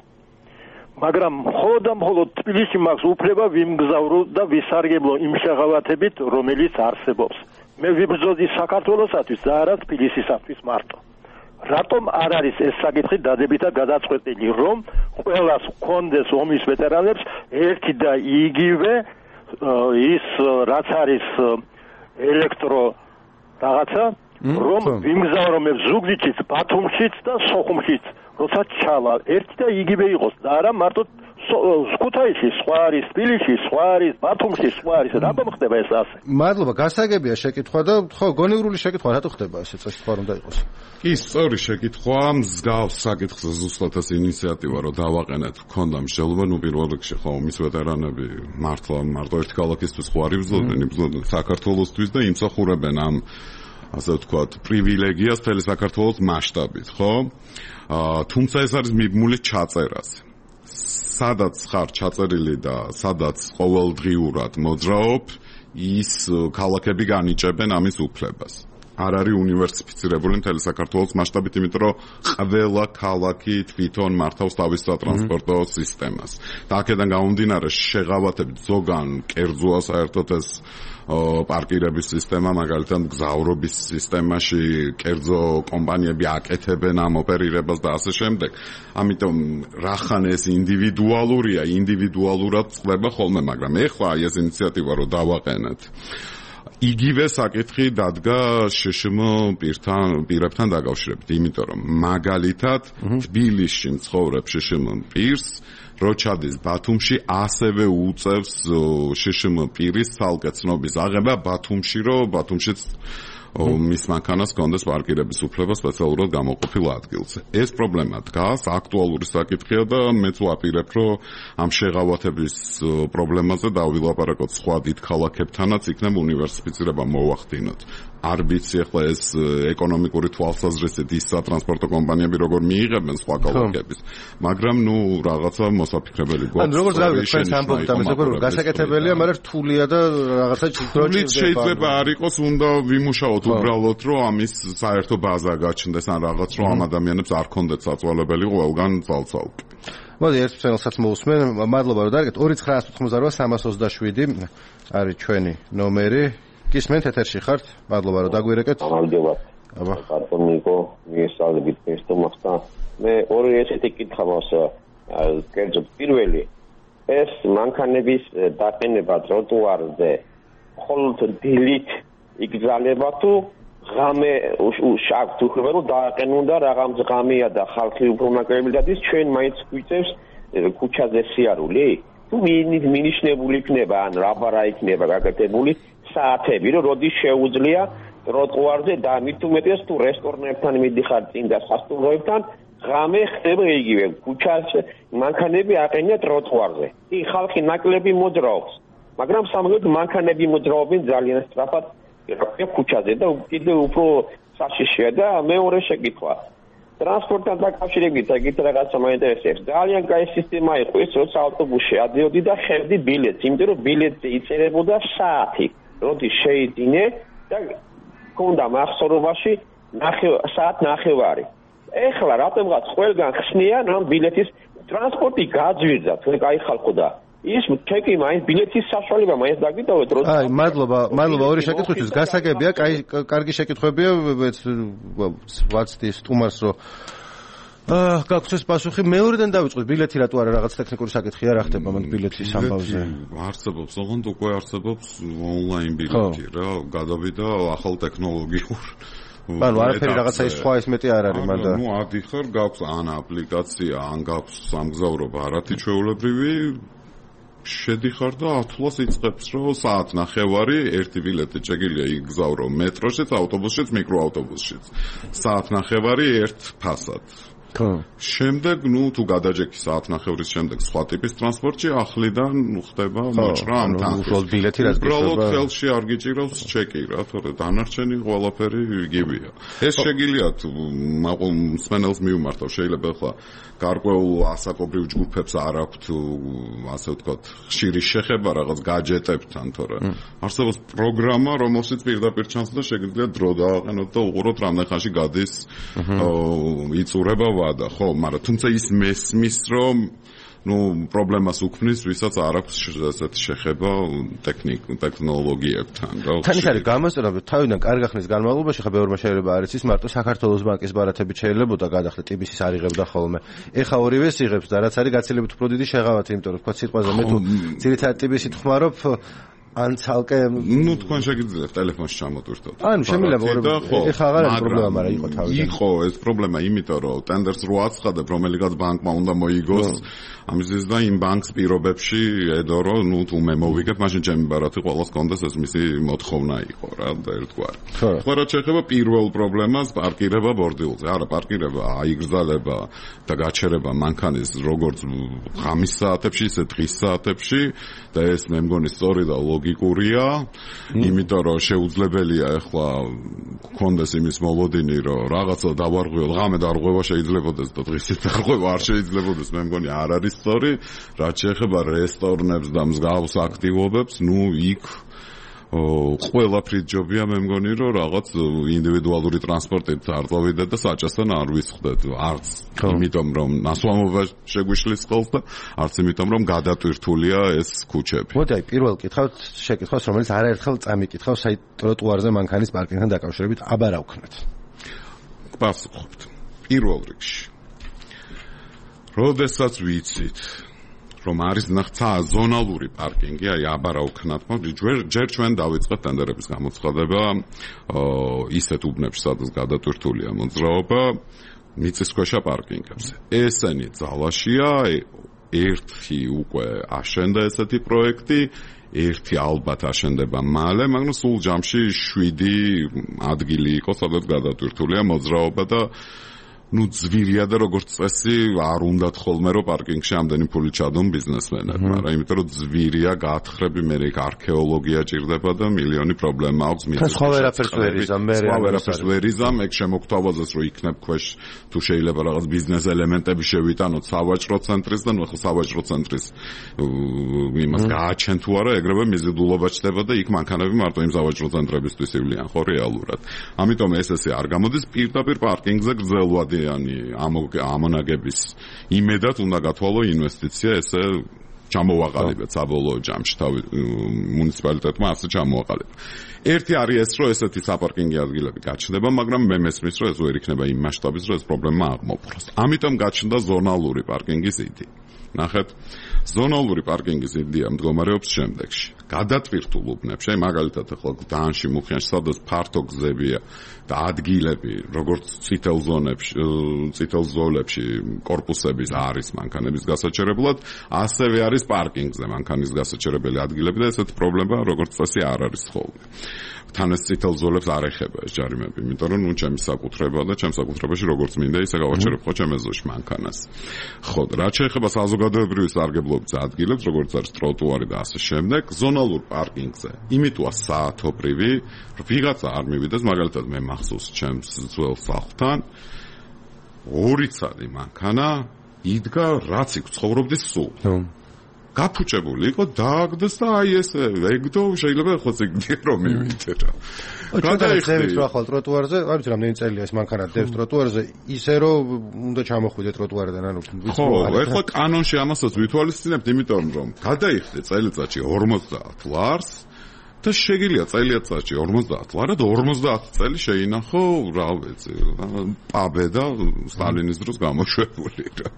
S6: მაგრამ მხოლოდ თბილისში მაქვს უფლება ვიმგზავრო და ვისარგებლო იმ შეღავათებით, რომელიც არსებობს. მე ვიბრძოდი საქართველოსათვის და არა თბილისისათვის მარტო. რატომ არ არის ეს საკითხი დადებითად გადაწყვეტილი, რომ ყველას ჰქონდეს ომის ვეტერანებს ერთი და იგივე ის რაც არის ელექტრო რაღაცა, რომ ვიმგზავრობ ზუგდიდშიც, ბათუმშიც და სოხუმშიც, როცა ჩავალ, ერთი და იგივე იყოს და არა მარტო ქუთაისში, სხვა არის თბილისში, სხვა არის ბათუმში, სხვა არის. რატომ ხდება ეს ასე?
S1: მადლობა, გასაგებია შეკითხვა და ხო, გონივრული შეკითხვა რატო ხდება ესე წესრიგვა რომ დაიყოს?
S5: კი, სწორი შეკითხვა, მსგავს საკითხზე ზუსტად ეს ინიციატივა რომ დავაყენეთ, გქონდა მსჯელობა, ნუ პირველ რიგში ხო ომის ვეტერანები მარტო ერთი ქალაქისთვის ხო არ იბრძოდნენ საქართველოსთვის და იმსახურებენ ამ ასე ვთქვათ, პრივილეგიას მთელი საქართველოს მასშტაბით, ხო? თუმცა ეს არის მიბმული ჩაწერაზე. სადაც ხარ ჩაწერილი და სადაც ყოველდღიურად მოძრაობ, ის ქალაქები განიჭებენ ამის უფლებას. არ არის უნივერსიფიცირებული მთელი საქართველოს მასშტაბით, იმიტომ რომ ყველა ქალაქი თვითონ მართავს თავის სატრანსპორტო სისტემას. და აქედან გამომდინარე შეღავათებით ზოგან კერძოა საერთოდ ეს პარკირების სისტემა, მაგალითად გზავრობის სისტემაში კერძო კომპანიები აკეთებენ ამ ოპერირებას და ასე შემდეგ. ამიტომ რახან ეს ინდივიდუალურია, ინდივიდუალურად წდება ხოლმე, მაგრამ ეხლა ეს ინიციატივა რომ დავაყენეთ. იგივე საკითხი დადგა შშმ პირებთან დაკავშირებით, იმიტომ რომ მაგალითად თბილისში მცხოვრებ შშმ პირს რო ჩადის ბათუმში, ასევე უწევს შშმ პირის ცალკე ცნობის აღება ბათუმში, რომ ბათუმშიც მის მანქანას კონდეს პარკირების უფლება სპეციალურად გამოყოფილ ადგილზე. ეს პრობლემა დგას, აქტუალური საკითხია და მეც ვაპირებ, რომ ამ შეღავათების პრობლემაზე დავილაპარაკოთ სხვა დიდ ქალაქებთანაც, იქნებ უნივერსიფიცირება მოვახდინოთ. არ ვიცი ახლა ეს ეკონომიკური თვალსაზრისით ის სატრანსპორტო კომპანიები როგორ მიიღებენ სხვა ქალაქების, მაგრამ ნუ რაღაცა მოსაფიქრებელი გვაქვს.
S1: ანუ როგორც გავიგეთ, თქვენ ამბობთ ამას, როგორ გასაკეთებელია, მაგრამ რთულია და რაღაცა
S5: რთული შეიძლება არ იყოს, უნდა ვიმუშაოთ უბრალოდ, რომ ამის საერთო ბაზა გაჩნდეს ან რაღაც, რომ ამ ადამიანებს არ ქონდეთ საწვალებელი ყველგან ძალ-ძალკე.
S1: მოდი ერთ ფსენელსაც მოусმენ. მადლობა რომ დაარგეთ. 2988 არის ჩვენი ნომერი. გისმენთ, ეთერში ხართ. მადლობა რომ დაგვირეკეთ.
S7: გამარჯობა. აბა, კარტონიკო, მიესალმებით ესტომახთან. მე ორი ესეთი კითხვა მაქვს. კერძო პირველი, ეს მანქანების დაყენება ტროტუარზე მხოლოდ დილით იგზავნება თუ ღამე შავთ უხდება რომ დააყენუნდა რაღაც ღამეა და ხალხი უფრო ნაკლები დადის, ჩვენ მაინც გვიწევს ქუჩაზე სიარული? თუ მინიშნებული იქნება ან რაბარა იქნება გაკეთებული საათები, რომ როდის შეუძლია ტროტუარზე და მით უმეტეს თუ რესტორნებთან მიდიხარ წინ და სასტუმროებთან ღამე ხდება იგივე ქუჩაზე მანქანები აყენია ტროტუარზე. კი ხალხი ნაკლები მოძრაობს, მაგრამ სამაგოდ მანქანები მოძრაობენ ძალიან სწრაფად ქუჩაზე და კიდევ უფრო საშიშია და მეორე შეკითხვა. ტრანსპორტთან დაკავშირებით ეგეთ რაღაცა მაინტერესებს. ძალიან კაი სისტემა იყო ის, როცა ავტობუსში ადიოდი და ხედი ბილეთს, იმიტომ რომ ბილეთზე იწერებოდა საათი, როდის შეიძინე და ქონდა მახსოვრობაში საათ ნახევარი. ეხლა რატომღაც ყველგან ხსნიან ამ ბილეთის ტრანსპორტი გაძვირდა, თქვენ კაი ხალხო და ის ჩეკი მაინც ბილეთის საშუალება მაინც დაგიტოვეთ რომ
S1: აი მადლობა ორი შეკითხვისთვის გასაგებია კარგი შეკითხვებია ვაცდი სტუმარს რომ გაგვცეს პასუხი მეორედან დავიწყოთ ბილეთი რატო არა რაღაც ტექნიკური საკითხია რა ხდება მანდ ბილეთის ამბავზე
S5: არსებობს ოღონდ უკვე არსებობს ონლაინ ბილეთი რა გადავიდა ახალ ტექნოლოგიურ
S1: ანუ არაფერი რაღაცა ის სხვა ის მეტი არ არის მანდა
S5: ნუ ადიხარ გაქვს ან აპლიკაცია ან გაქვს სამგზავრო ბარათი ჩვეულებრივი შედიხარ და 10 ლას იწყებს რომ საათ ნახევარი ერთი ბილეთი შეგიძლია იგზავრო მეტროშიც ავტობუსშიც მიკროავტობუსშიც საათ ნახევარი ერთ ფასად შემდეგ ნუ თუ გადაჯექი საათ ნახევრის შემდეგ სხვა ტიპის ტრანსპორტში ახლიდან ხდება მოჭრა ამ თანხის
S1: უბრალოდ ბილეთი რაც
S5: უბრალოდ ხელში არ გიჭირავს ჩეკი რა თორე დანარჩენი ყველაფერი იგივეა ეს შეგიძლია თუ მსმენელს მიუმართავ შეიძლება ახლა გარკვეულ ასაკობრივ ჯგუფებს არ აქვთ ასე ვთქვათ ხშირი შეხება რაღაც გაჯეტებთან თორე არსებობს პროგრამა რომელშიც პირდაპირ ჩანს და შეგიძლია დრო დააყენოთ და უყუროთ რამდენ ხანში გადის იწურება ვადა ხო მაგრამ თუმცა ის მესმის რომ ну პრობლემას უქმნის ვისაც არ აქვს ესეთი შეხება ტექნოლოგიებთან რა
S1: თან ის არის გამოსწორება თავიდან კარგი ხნის განმავლობაში ხა ბევრმა შეიძლება არის ის მარტო საქართველოს ბანკის ბარათებით შეიძლებოდა გადახდა ტიბისის არიღებდა ხოლმე ეხა ორივეს იღებს და რაც არის გაცილებით უფრო დიდი შეღავათი იმიტომ რომ თქვა სიტყვაზე მე თუ ძირითადად ტიბისი თხმარობ ან ცალკე
S5: ну თქვენ შეგიძლიათ ტელეფონში ჩამოტვირთოთ
S1: ანუ შემიძლია ეხა აღარ არის პრობლემა მაგრამ იყო თავიდან
S5: იყო ეს პრობლემა იმიტომ რომ ტენდერს რო აცხადებ რომელიღაც ბანკმა უნდა მოიგოს ამისთვის და იმ ბანკს პირობებში ედო რომ ну თუ მე მოვიგებ მაშინ ჩემი ბარათი ყოველს კონდეს ეს მისი მოთხოვნა იყო რა და ერთგვარი ხო რა შეიძლება პირველ პრობლემას პარკირება ბორდილზე არა პარკირება აიგრძალება და გაჩერება მანქანის როგორც ღამის საათებში ისე დღის საათებში და ეს მე მგონი სწორი და ლოგიკურია იმიტომ რომ შეუძლებელია ახლა გქონდეს იმის მოლოდინი რომ რაღაცა დავარღვიო ღამე დარღვევა შეიძლებადეს და დღისით დარღვევა არ შეიძლებადეს მე მგონი არ არის სწორი რაც შეეხება რესტორნებს და მსგავს აქტივობებს ნუ იქ ყველაფრით ჯობია მე მგონი რომ რაღაც ინდივიდუალური ტრანსპორტით არ წავიდეთ და საჭესთან არ ვისხდეთ არც იმიტომ რომ ნასვამობა შეგვიშლის ხელს და არც იმიტომ რომ გადატვირთულია ეს ქუჩები
S1: მოდი აი პირველ კითხავთ შეკითხვას რომელიც არაერთხელ წამიკითხავს აი ტროტუარზე მანქანის პარკინგთან დაკავშირებით აბარავქნეთ
S5: პასუხობთ პირველ რიგში როდესაც ვიცით რომ არის ნახცა ზონალური პარკინგი, აი აბარავქნათ, ჯერ ჩვენ დავიწყეთ ტენდერების გამოცხადება ისეთ უბნებში, სადაც გადატვირთულია მოძრაობა, მიწისქვეშა პარკინგებზე. ესენი ძალაშია, ერთი უკვე აშენდა ესეთი პროექტი, ერთი ალბათ აშენდება მალე, მაგრამ სულ ჯამში 7 ადგილი იყო, სადაც გადატვირთულია მოძრაობა და ну ძვირია და როგორც წესი არ უნდათ ხოლმე რომ პარკინგში ამდენი ფული ჩადონ ბიზნესმენები, მაგრამ იმიტომ რომ ძვირია გაათხრები მე იქ არქეოლოგია ჭირდება და მილიონი პრობლემა აქვს მიწის.
S1: სხვა ვერაფერს ვერ
S5: იზამ, ეგ შემოგთავაზეს რომ იქნებ ქვეშ თუ შეიძლება რაღაც ბიზნეს ელემენტები შევიტანოთ სავაჭრო ცენტრის და ნუ ახლა სავაჭრო ცენტრის იმას გააჩენ თუ არა ეგრევე მიზიდულობა ჩდება და იქ მანქანები მარტო იმ სავაჭრო ცენტრებისთვის ივლიან ხო რეალურად. ამიტომ ეს არ გამოდის პირდაპირ პარკინგზე გრძელვადი ამონაგების იმედად უნდა გათვალო ინვესტიცია ესე ჩამოვაყალიბეთ საბოლოო ჯამში თავი მუნიციპალიტეტმა ასე ჩამოაყალიბა. ერთი არის ეს რომ ესეთი საპარკინგი ადგილები გაჩნდება, მაგრამ მე მესმის რომ ეს ვერ იქნება იმ მასშტაბის რომ ეს პრობლემა აღმოფხვრას. ამიტომ გაჩნდა ზონალური პარკინგის იდეა. ნახეთ, ზონალური პარკინგის იდეა მდგომარეობს შემდეგში. გადატვირთულ უბნებში, აი მაგალითად ახლა დანში მუხიანში სადაც ფართო გზებია და ადგილები, როგორც წითელ ზოლებში კორპუსების არის მანქანების გასაჩერებლად, ასევე არის პარკინგზე მანქანის გასაჩერებელი ადგილები და ესეთ პრობლემა როგორც წესი არ არის ხოლმე. თან ეს წითელ ზოლებს არ ეხება ეს ჯარიმები, იმიტომ რომ ნუ ჩემი საკუთრებაა და ჩემს საკუთრებაში როგორც მინდა ისე გავაჩერებ ხო ჩემ ეზოში მანქანას. ხო, რაც შეეხება საზოგადოებრივი სარგებლობის ადგილებს, როგორც არის ტროტუარი და ასე შემდეგ, ზონალურ პარკინგზე იმიტოა საათობრივი, რომ ვიღაცა არ მივიდეს, მაგალითად მე მახსოვს ჩემს ძველ სახლთან 2 წელი მანქანა იდგა რაც იქ ცხოვრობდი სულ. გაფუჭებული იყო დააგდეს და აი ესე ეგდო შეიძლება ხო ზიგდე რომ მივიდე რა.
S1: გადაიხდით რა ხვალ ტროტუარზე, არ ვიცი რამდენი წელია ეს მანქანა დევს ტროტუარზე, ისე რომ უნდა ჩამოხვიდე ტროტუარიდან ანუ
S5: ხო, ეხლა კანონში ამასაც ვითვალისწინებთ, იმიტომ რომ გადაიხდე წელიწადში 50 ლარს და შეგიძლია წელიწადში 50 ლარა და 50 წელი შეინახო, რა ვიცი, პაბე და სტალინის დროს გამოშვებული რა.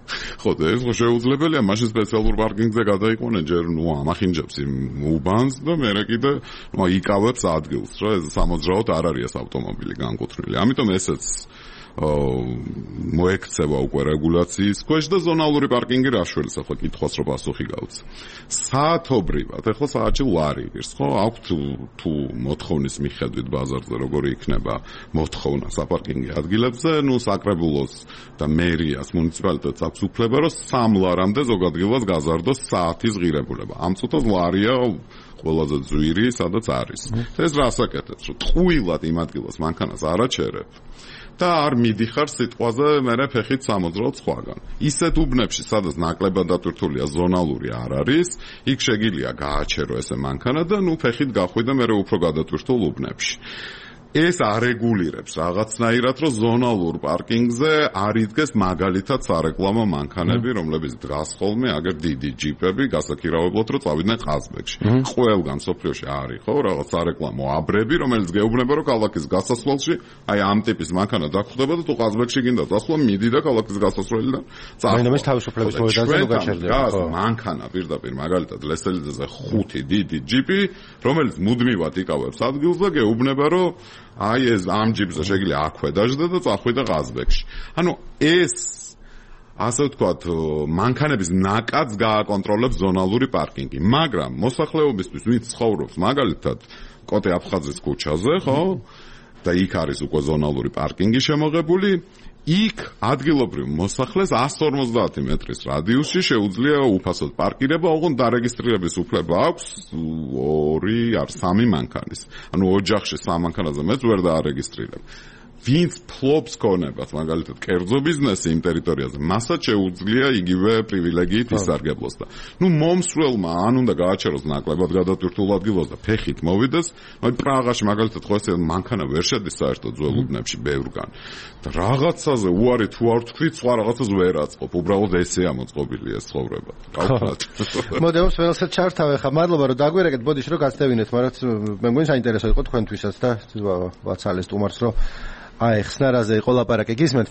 S5: ხო, და ეს შეუძლებელია, მაშინ სპეციალურ პარკინგზე გადაიყვანე ჯერ ნუ ამახინჯებს იმ უბანს და მერე კიდე ნუ იკავებს ადგილს რა, ეს სამოძრაოდ არ არის ეს ავტომობილი განკუთვნილი. ამიტომ ესეც მოექცევა უკვე რეგულაციის ქვეშ და ზონალური პარკინგი რა შველის ახლა კითხვას რო პასუხი გავც. საათობრივად, ახლა საათში ლარი იღებს, ხო? აქვთ თუ მოთხოვნის მიხედვით ბაზარზე როგორი იქნება მოთხოვნა საპარკინგო ადგილებზე, ნუ საკრებულოს და მერიას მუნიციპალიტეტს აქვს უფლება, რომ 3 ლარამდე ზოგადღილას გაზარდოს საათის ღირებულება. ამ წუთას ლარია ყველაზე ძვირი, სადაც არის. ეს რას აკეთებს, რომ ტყუილად იმ ადგილას მანქანას არ აჩერებ და არ მიდიხარ სიტყვაზე მერე ფეხით სამოძრაოდ სხვაგან. ისეთ უბნებში, სადაც ნაკლებად დატვირთულია ზონალური არ არის, იქ შეგიძლია გააჩერო ესე მანქანა და ნუ ფეხით გახვიდე მერე უფრო გადატვირთულ უბნებში. ეს არეგულირებს რაღაცნაირად, რომ ზონალურ პარკინგზე არ იდგეს მაგალითად სარეკლამო მანქანები, რომლებიც დგას ხოლმე აგერ დიდი ჯიპები, გასაქირავებლად, რომ წავიდნენ ყაზბეგში. ყველგან სოფლიოში არის ხო, რაღაც სარეკლამო აბრები, რომელიც გეუბნება, რომ ქალაქის გასასვლელში აი ამ ტიპის მანქანა დაგხვდება და თუ ყაზბეგში გინდა წასვლა, მიდი და ქალაქის გასასვლელიდან წასვლა.
S1: მაინც თავისუფლების მოედანზე რო გაჩერდება.
S5: ხო, მანქანა პირდაპირ მაგალითად ლესელიძეზე 5 დიდი ჯიპი, რომელიც მუდმივად იკავებს ადგილზე, გეუბნება, რომ აი ეს ამ ჯიპზე შეგიძლია აქვე დაждდა და წახვიდა ყაზბეგში. ანუ ეს ასე ვთქვათ, მანქანების ნაკადს გააკონტროლებს ზონალური პარკინგი, მაგრამ მოსახლეობისთვის ვინც ცხოვრობს მაგალითად კოტე აფხაზის ქუჩაზე, ხო? და იქ არის უკვე ზონალური პარკინგი შემოღებული, იქ ადგილობრივ მოსახლეს 150 მეტრის რადიუსში შეუძლია უფასოდ პარკირება, ოღონდ დარეგისტრირების უფლება აქვს 2 არ 3 მანქანის. ანუ ოჯახში 3 მანქანაზე მეც ვერ დაარეგისტრირებ. ვინც ფლობს ქონებას, მაგალითად, კერძო ბიზნესი იმ ტერიტორიაზე, მასაც შეუძლია იგივე პრივილეგიით ისარგებლოს და ნუ მომსვლელმა ან უნდა გააჩეროს ნაკლებად გადატვირთულ ადგილას და ფეხით მოვიდეს, მაგრამ პრაღაში მაგალითად ხო ესე მანქანა ვერ შედის საერთოდ ძველ უბნებში ბევრგან. და რაღაცაზე უარი თუ არ თქვი, სხვა რაღაცას ვერ აწყობ, უბრალოდ ესეა მოწყობილი ეს ცხოვრება. გავხსნათ.
S1: მოდევს ველსაც ჩართავ ახლა. მადლობა რომ დაგვერეკეთ, ბოდიში რომ გაცდევინეთ, მაგრამ მე მგონი საინტერესო იყო თქვენთვისაც და ვაცალეს სტუმარს რომ აი ხსნარაზე იყო ლაპარაკი, გისმენთ?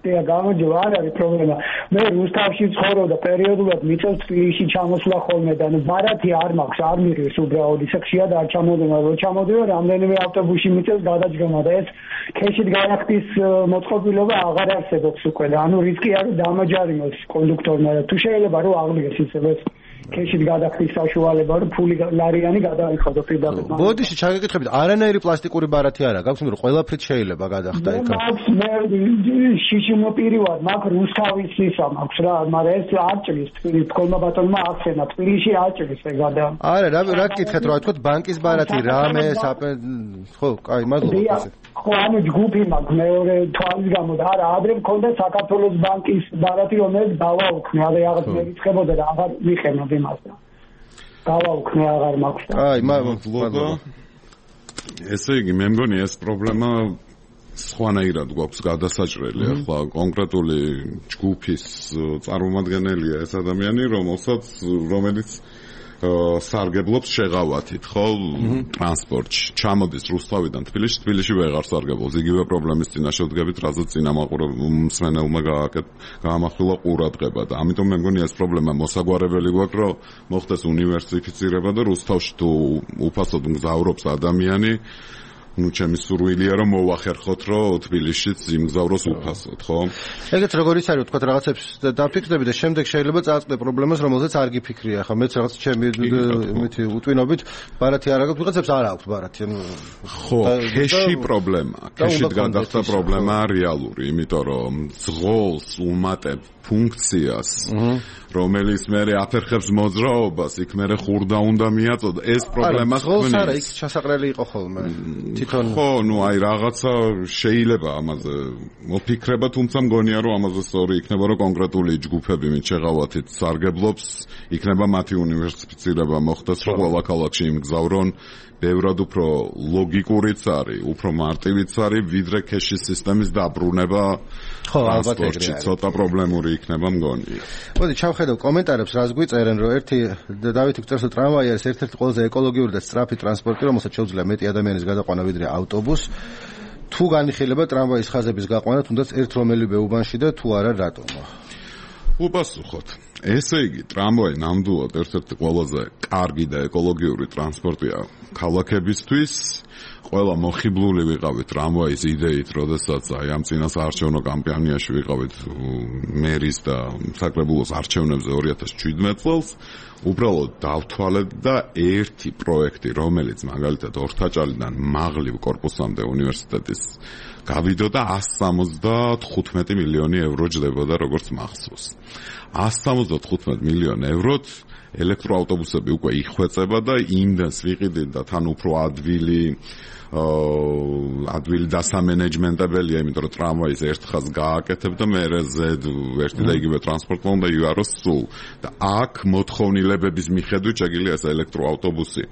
S8: და გამარჯობა, არ არის პრობლემა. მე რუსთავში ცხოვრობ და პერიოდულად მიწევს თბილისში ჩამოსვლა ხოლმე და ბარათი არ მაქვს, არ მიღებს უბრალოდ ისე ხშირად არ ჩამოდენა, რომ ჩამოდიო რამდენიმე ავტობუსში მიწევს გადაჯგომა და ეს ქეშით განახდის მოწყობილობა აღარ არსებობს უკვე და ანუ რისკი არის დამაჯარიმოს კონდუქტორმა და თუ შეიძლება რომ აღდგეს ისევე ქეშით გადახდის საშუალება, რომ ფული ლარიანი გადაიხადო პირდაპირ.
S1: ბოდიში ჩაგეკითხებით, არანაირი პლასტიკური ბარათი არა გაქვს, მაგრამ ყველაფრით შეიძლება გადახდა იქ.
S8: მაქვს მე შიშიმოპირივად, მაქვს რუსთავის ისა მაქვს რა, მაგრამ ეს არ ჭრის თბილისში, თქონმა ბატონმა ახსენა, თბილისში არ ჭრის ეგ გადა.
S1: არა, რა გკითხეთ რა თქვა ბანკის ბარათი, რამე, ხო, კაი, მადლობა.
S8: ხო, ანუ ჯგუფი მაქვს მეორე თვალის გამო და არა, ადრე მქონდა საქართველოს ბანკის ბარათი, რომელიც დავაუქნე, არა რაღაც მერიცხებოდა და აღარ ვიყენებ იმასა. დავაუქნე, აღარ მაქვს.
S1: აი, მადლობა.
S5: ესე იგი, მე მგონი ეს პრობლემა სხვანაირად გვაქვს გადასაჭრელი, ახლა კონკრეტული ჯგუფის წარმომადგენელია ეს ადამიანი, რომელიც სარგებლობს შეღავათით, ხო, ტრანსპორტში. ჩამოდის რუსთავიდან თბილისში ვეღარ სარგებლობს. იგივე პრობლემის წინაშე ვდგებით, რაზეც წინამორბედმა გაამახვილა ყურადღება და ამიტომ მე მგონი ეს პრობლემა მოსაგვარებელი გვაქვს, რომ მოხდეს უნივერსიფიცირება და რუსთავში თუ უფასოდ მგზავრობს ადამიანი ჩემი სურვილია რომ მოვახერხოთ რომ თბილისშიც იმგზავროს უფასოდ, ხო?
S1: ეგეც როგორ ის არის, თქვა რაღაცებს დაფიქრდები და შემდეგ შეიძლება წააწყდე პრობლემას, რომელზეც არ გიფიქრია, ხო? მეც რაღაც ჩემი უტვინობით ბარათი არ აქვს, ვიღაცებს არ აქვს ბარათი, ანუ
S5: ხო, ქეში პრობლემაა. ქეშით გადახდა პრობლემა რეალური, იმიტომ რომ ძღოლს უმატებ ფუნქციას, რომელიც მე აფერხებს მოძრაობას, იქ მე ხურდა უნდა მიაწოდო, ეს პრობლემას ქმნის.
S1: ძღოლს არა, იქ ჩასაყრელი იყო ხოლმე.
S5: ხო, ნუ აი რაღაცა შეიძლება ამაზე მოფიქრება, თუმცა მგონია რომ ამაზე სწორი იქნება რომ კონკრეტული ჯგუფები მით შეღავათით სარგებლობს, იქნება მათი უნივერსიფიცირება მოხდეს, რომ ყველა ქალაქში იმგზავრონ, ბევრად უფრო ლოგიკურიც არის, უფრო მარტივიც არის, ვიდრე ქეშის სისტემის დაბრუნება. ხო, ალბათ ეგრეა. ცოტა პრობლემური იქნება მგონი.
S1: მოდი ჩავხედავ კომენტარებს, რას გვიწერენ, რომ ერთი დავითი გვწერს, რომ ტრამვაი არის ერთ-ერთი ყველაზე ეკოლოგიური და სწრაფი ტრანსპორტი, რომელსაც შეუძლია მეტი ადამიანის გადაყვანა ვიდრე ავტობუსს. თუ განიხილება ტრამვაის ხაზების გაყვანა, თუნდაც ერთ რომელიმე უბანში და თუ არა რატომო?
S5: უპასუხოთ. ესე იგი, ტრამვაი ნამდვილად ერთ-ერთი ყველაზე კარგი და ეკოლოგიური ტრანსპორტია ქალაქებისთვის. ყველა მოხიბლული ვიყავით ტრამვაის იდეით, როდესაც აი ამ წინასაარჩევნო კამპანიაში ვიყავით მერის და საკრებულოს არჩევნებზე 2017 წელს. უბრალოდ დავთვალეთ და ერთი პროექტი, რომელიც მაგალითად ორთაჭალიდან მაღლივ კორპუსამდე უნივერსიტეტის გავიდოდა 175 მილიონი ევრო ჯდებოდა როგორც მახსოვს. 175 მილიონ ევროთ ელექტროავტობუსები უკვე იხვეწება და იმდენს ვიყიდით და თან უფრო ადვილი დასამენეჯმენტებელია, იმიტომ რომ ტრამვაის ერთ ხაზს გააკეთებ და მერე ზედ ერთი და იგივე ტრანსპორტმა უნდა იაროს სულ. და აქ მოთხოვნილებების მიხედვით შეგიძლია ეს ელექტროავტობუსი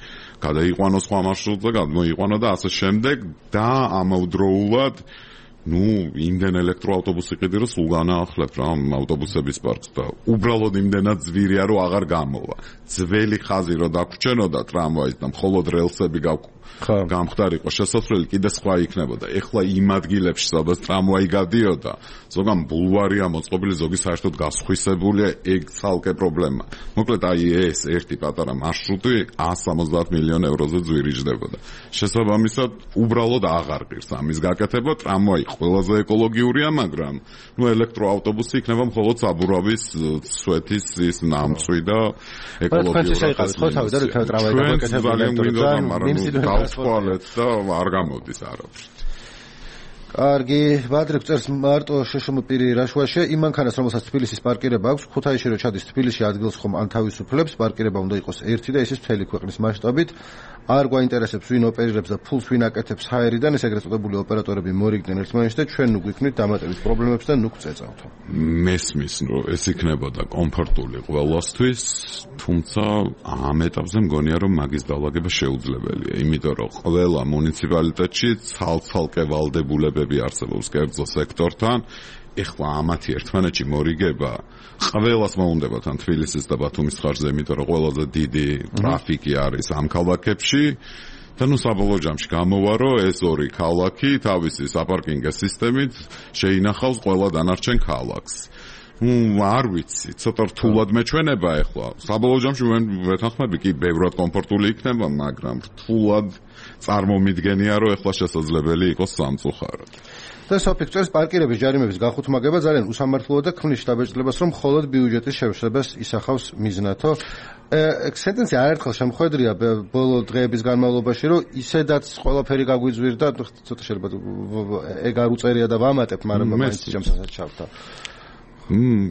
S5: გადაიყვანოს სხვა მარშრუტზე, გამოიყვანა და ასე შემდეგ და ამავდროულად იმდენ ელექტროავტობუსი ყიდი რომ სულ განაახლებ რა ავტობუსების პარკს და უბრალოდ იმდენად ძვირია რომ აღარ გამოვა. ძველი ხაზი რო დაგვრჩენოდა ტრამვაის და მხოლოდ რელსები გამხდარიყო შესასვლელი კიდე სხვა იქნებოდა. ეხლა იმ ადგილებში სადაც ტრამვაი გადიოდა, ზოგან ბულვარია მოწყობილი, ზოგი საერთოდ გასხვისებულია, ეგ ცალკე პრობლემა. მოკლედ აი ეს ერთი პატარა მარშრუტი 170 მილიონ ევროზე ძვირი ჯდებოდა. შესაბამისად, უბრალოდ აღარ ღირს ამის გაკეთება. ტრამვაი ყველაზე ეკოლოგიურია, მაგრამ ელექტროავტობუსი იქნება მხოლოდ საბურავის სვეთის ის ნამცვი და ეკოლოგიურად. დავთვალეთ და არ გამოდის არავის.
S1: კარგი, ბადრე წერს მარტო შეშმ პირი რაშვაშე იმ მანქანას, რომელსაც თბილისის პარკირება აქვს, ქუთაისში რო ჩადის თბილისში ადგილს ხომ ან თავისუფლებს, პარკირება უნდა იყოს ერთი და ისიც მთელი ქვეყნის მასშტაბით. არ გვაინტერესებს ვინ ოპერირებს და ფულს ვინ აკეთებს ჰაერიდან, ეს ეგრეთ წოდებული ოპერატორები მორიგდნენ ერთმანეთს და ჩვენ ნუ გვიქნით დამატებით პრობლემებს და ნუ გვწეწავთ.
S5: მესმის, რომ ეს იქნებოდა კომფორტული ყველასთვის, თუმცა ამ ეტაპზე მგონია, რომ მაგის დალაგება შეუძლებელია, იმიტომ რომ ყველა მუნიციპალიტეტში ცალ-ცალკე ვალდებულებები არსებობს კერძო სექტორთან. ეხლა ამათი ერთმანეთში მორიგება ყველას მოუნდება თან თბილისის და ბათუმის ხარჯზე, იმიტომ რომ ყველაზე დიდი ტრაფიკი არის ამ ქალაქებში და საბოლოო ჯამში გამოვა, რომ ეს ორი ქალაქი თავისი საპარკინგო სისტემით შეინახავს ყველა დანარჩენ ქალაქს. არ ვიცი, ცოტა რთულად მეჩვენება ეხლა. საბოლოო ჯამში მე ვეთანხმები კი ბევრად კომფორტული იქნება, მაგრამ რთულად წარმომიდგენია, რომ ეხლა შესაძლებელი იყოს სამწუხაროდ.
S1: და სოფიქსტოს პარკირების ჯარიმების გახუთმაგება ძალიან უსამართლოა და ქმნის შტაბეჭდილებას, რომ მხოლოდ ბიუჯეტის შეშლებას ისახავს მიზნათო. სენტენცია არაერთხელ შემხვედრია ბოლო დღეების განმავლობაში, რომ ისედაც ყველაფერი გაგვიძვირდა, ცოტა შეიძლება ეგ არ უწერია და ვამატებ, მაგრამ მაინც ჩემსაც ჩავდა.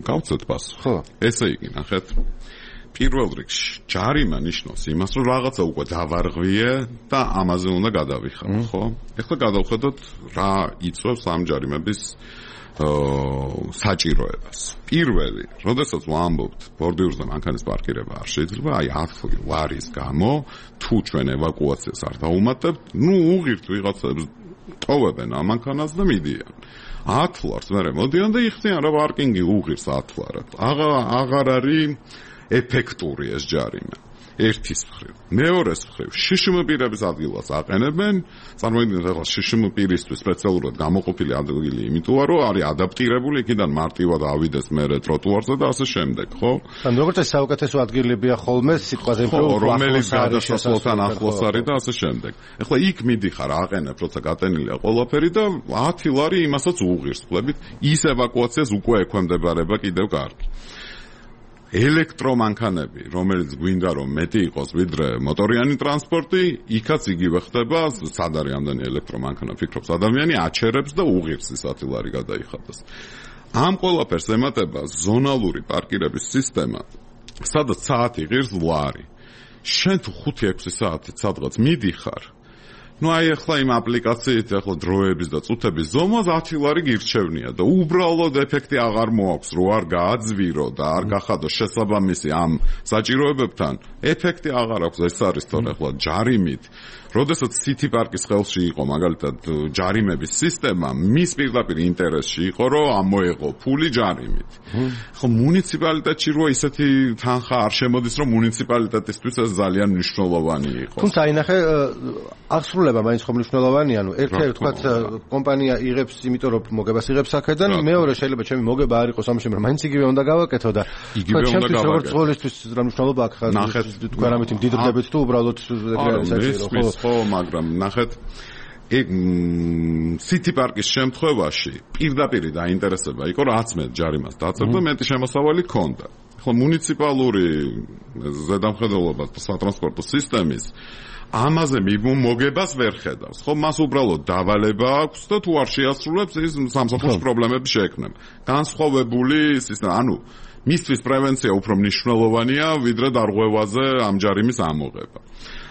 S5: გავცეთ პასუხი. ხო, ესე იგი, ნახეთ. პირველ რიგში ჯარიმა ნიშნავს იმას, რომ რაღაცა უკვე დავარღვიე და ამაზე უნდა გადავიხარ, ხო? ეხლა გადავხედოთ რა იწვევს ამ ჯარიმების საჭიროებას. პირველი, როდესაც ვამბობთ ბორდიურზე მანქანის პარკირება არ შეიძლება, აი 10 ლარის გამო თუ ჩვენ ევაკუაციას არ დავუმატებთ, უღირთ ვიღაცებს ტოვებენ ამ მანქანას და მიდიან. 10 ლარს მერე მოდიან და იხდიან რა პარკინგი უღირს 10 ლარად. აღარ არის ეფექტური ეს ჯარიმა. ერთის მხრივ. მეორეს მხრივ, შშმ პირების ადგილას აყენებენ, წარმოიდგინეთ ახლა შშმ პირისთვის სპეციალურად გამოყოფილი ადგილი, იმიტომ რომ არის ადაპტირებული იქიდან მარტივად ავიდეს მერე ტროტუარზე და ასე შემდეგ, ხო?
S1: ან როგორც ეს საუკეთესო ადგილებია ხოლმე სიტყვაზე უფრო
S5: რომელიც გადასასვლელთან ახლოს არის და ასე შემდეგ. ახლა იქ მიდიხარ, აყენებ, როცა გატენილია ყველაფერი და 10 ლარი იმასაც უღირს, ხლებით, ის ევაკუაციას უკვე ექვემდებარება კიდევ კარგი. ელექტრომანქანები, რომელიც გვინდა რომ მეტი იყოს ვიდრე მოტორიანი ტრანსპორტი, იქაც იგივე ხდება, სად არის ამდენი ელექტრომანქანა, ფიქრობს ადამიანი, აჩერებს და უღირს ის 10 ლარი გადაიხადოს. ამ ყველაფერს ემატება ზონალური პარკირების სისტემა, სადაც საათი ღირს ლარი. შენ თუ 5-6 საათით სადღაც მიდიხარ, აი ახლა იმ აპლიკაციით ახლა დროების და წუთების ზომას 10 ლარი გირჩევნია და უბრალოდ ეფექტი აღარ მოაქვს, რო არ გააძვირო და არ გახადო შესაბამისი ამ საჭიროებებთან, ეფექტი აღარ აქვს. ეს არის თორე ახლა ჯარიმით, როდესაც City Park-ის ხელში იყო მაგალითად ჯარიმების სისტემა, მის პირდაპირ ინტერესში იყო, რომ ამოეღო ფული ჯარიმით. ხო მუნიციპალიტეტში რო ისეთი თანხა არ შემოდის, რომ მუნიციპალიტეტისთვის ეს ძალიან მნიშვნელოვანი იყოს.
S1: თუმცა აინახე აღსრულება მაინც ხომ მნიშვნელოვანია, ერთ-ერთი თქვა კომპანია იღებს, იმიტომ რომ მოგებას იღებს აქედან, მეორე შეიძლება ჩემი მოგება არ იყოს ამაში, მაგრამ მაინც იგივე უნდა გავაკეთო და ჩემთვის როგორც ყოველთვის რა მნიშვნელობა აქვს თქვენ ამით მდიდრდებით თუ უბრალოდ საჭირო ხო?
S5: ხო, მაგრამ ნახეთ, City Park-ის შემთხვევაში პირდაპირი დაინტერესება იყო, რაც მე ჯარიმას დაწერდა, მეტი შემოსავალი ქონდა. ხო, მუნიციპალური ზედამხედველობა სატრანსპორტო სისტემის ამაზე მოგებას ვერ ხედავს. ხო, მას უბრალოდ დავალება აქვს და თუ არ შეასრულებს, ის სამსახურში პრობლემები შეექმნება. განსხვავებული სისტემა, ანუ მისთვის პრევენცია უფრო მნიშვნელოვანია, ვიდრე დარღვევაზე ამ ჯარიმის ამოღება.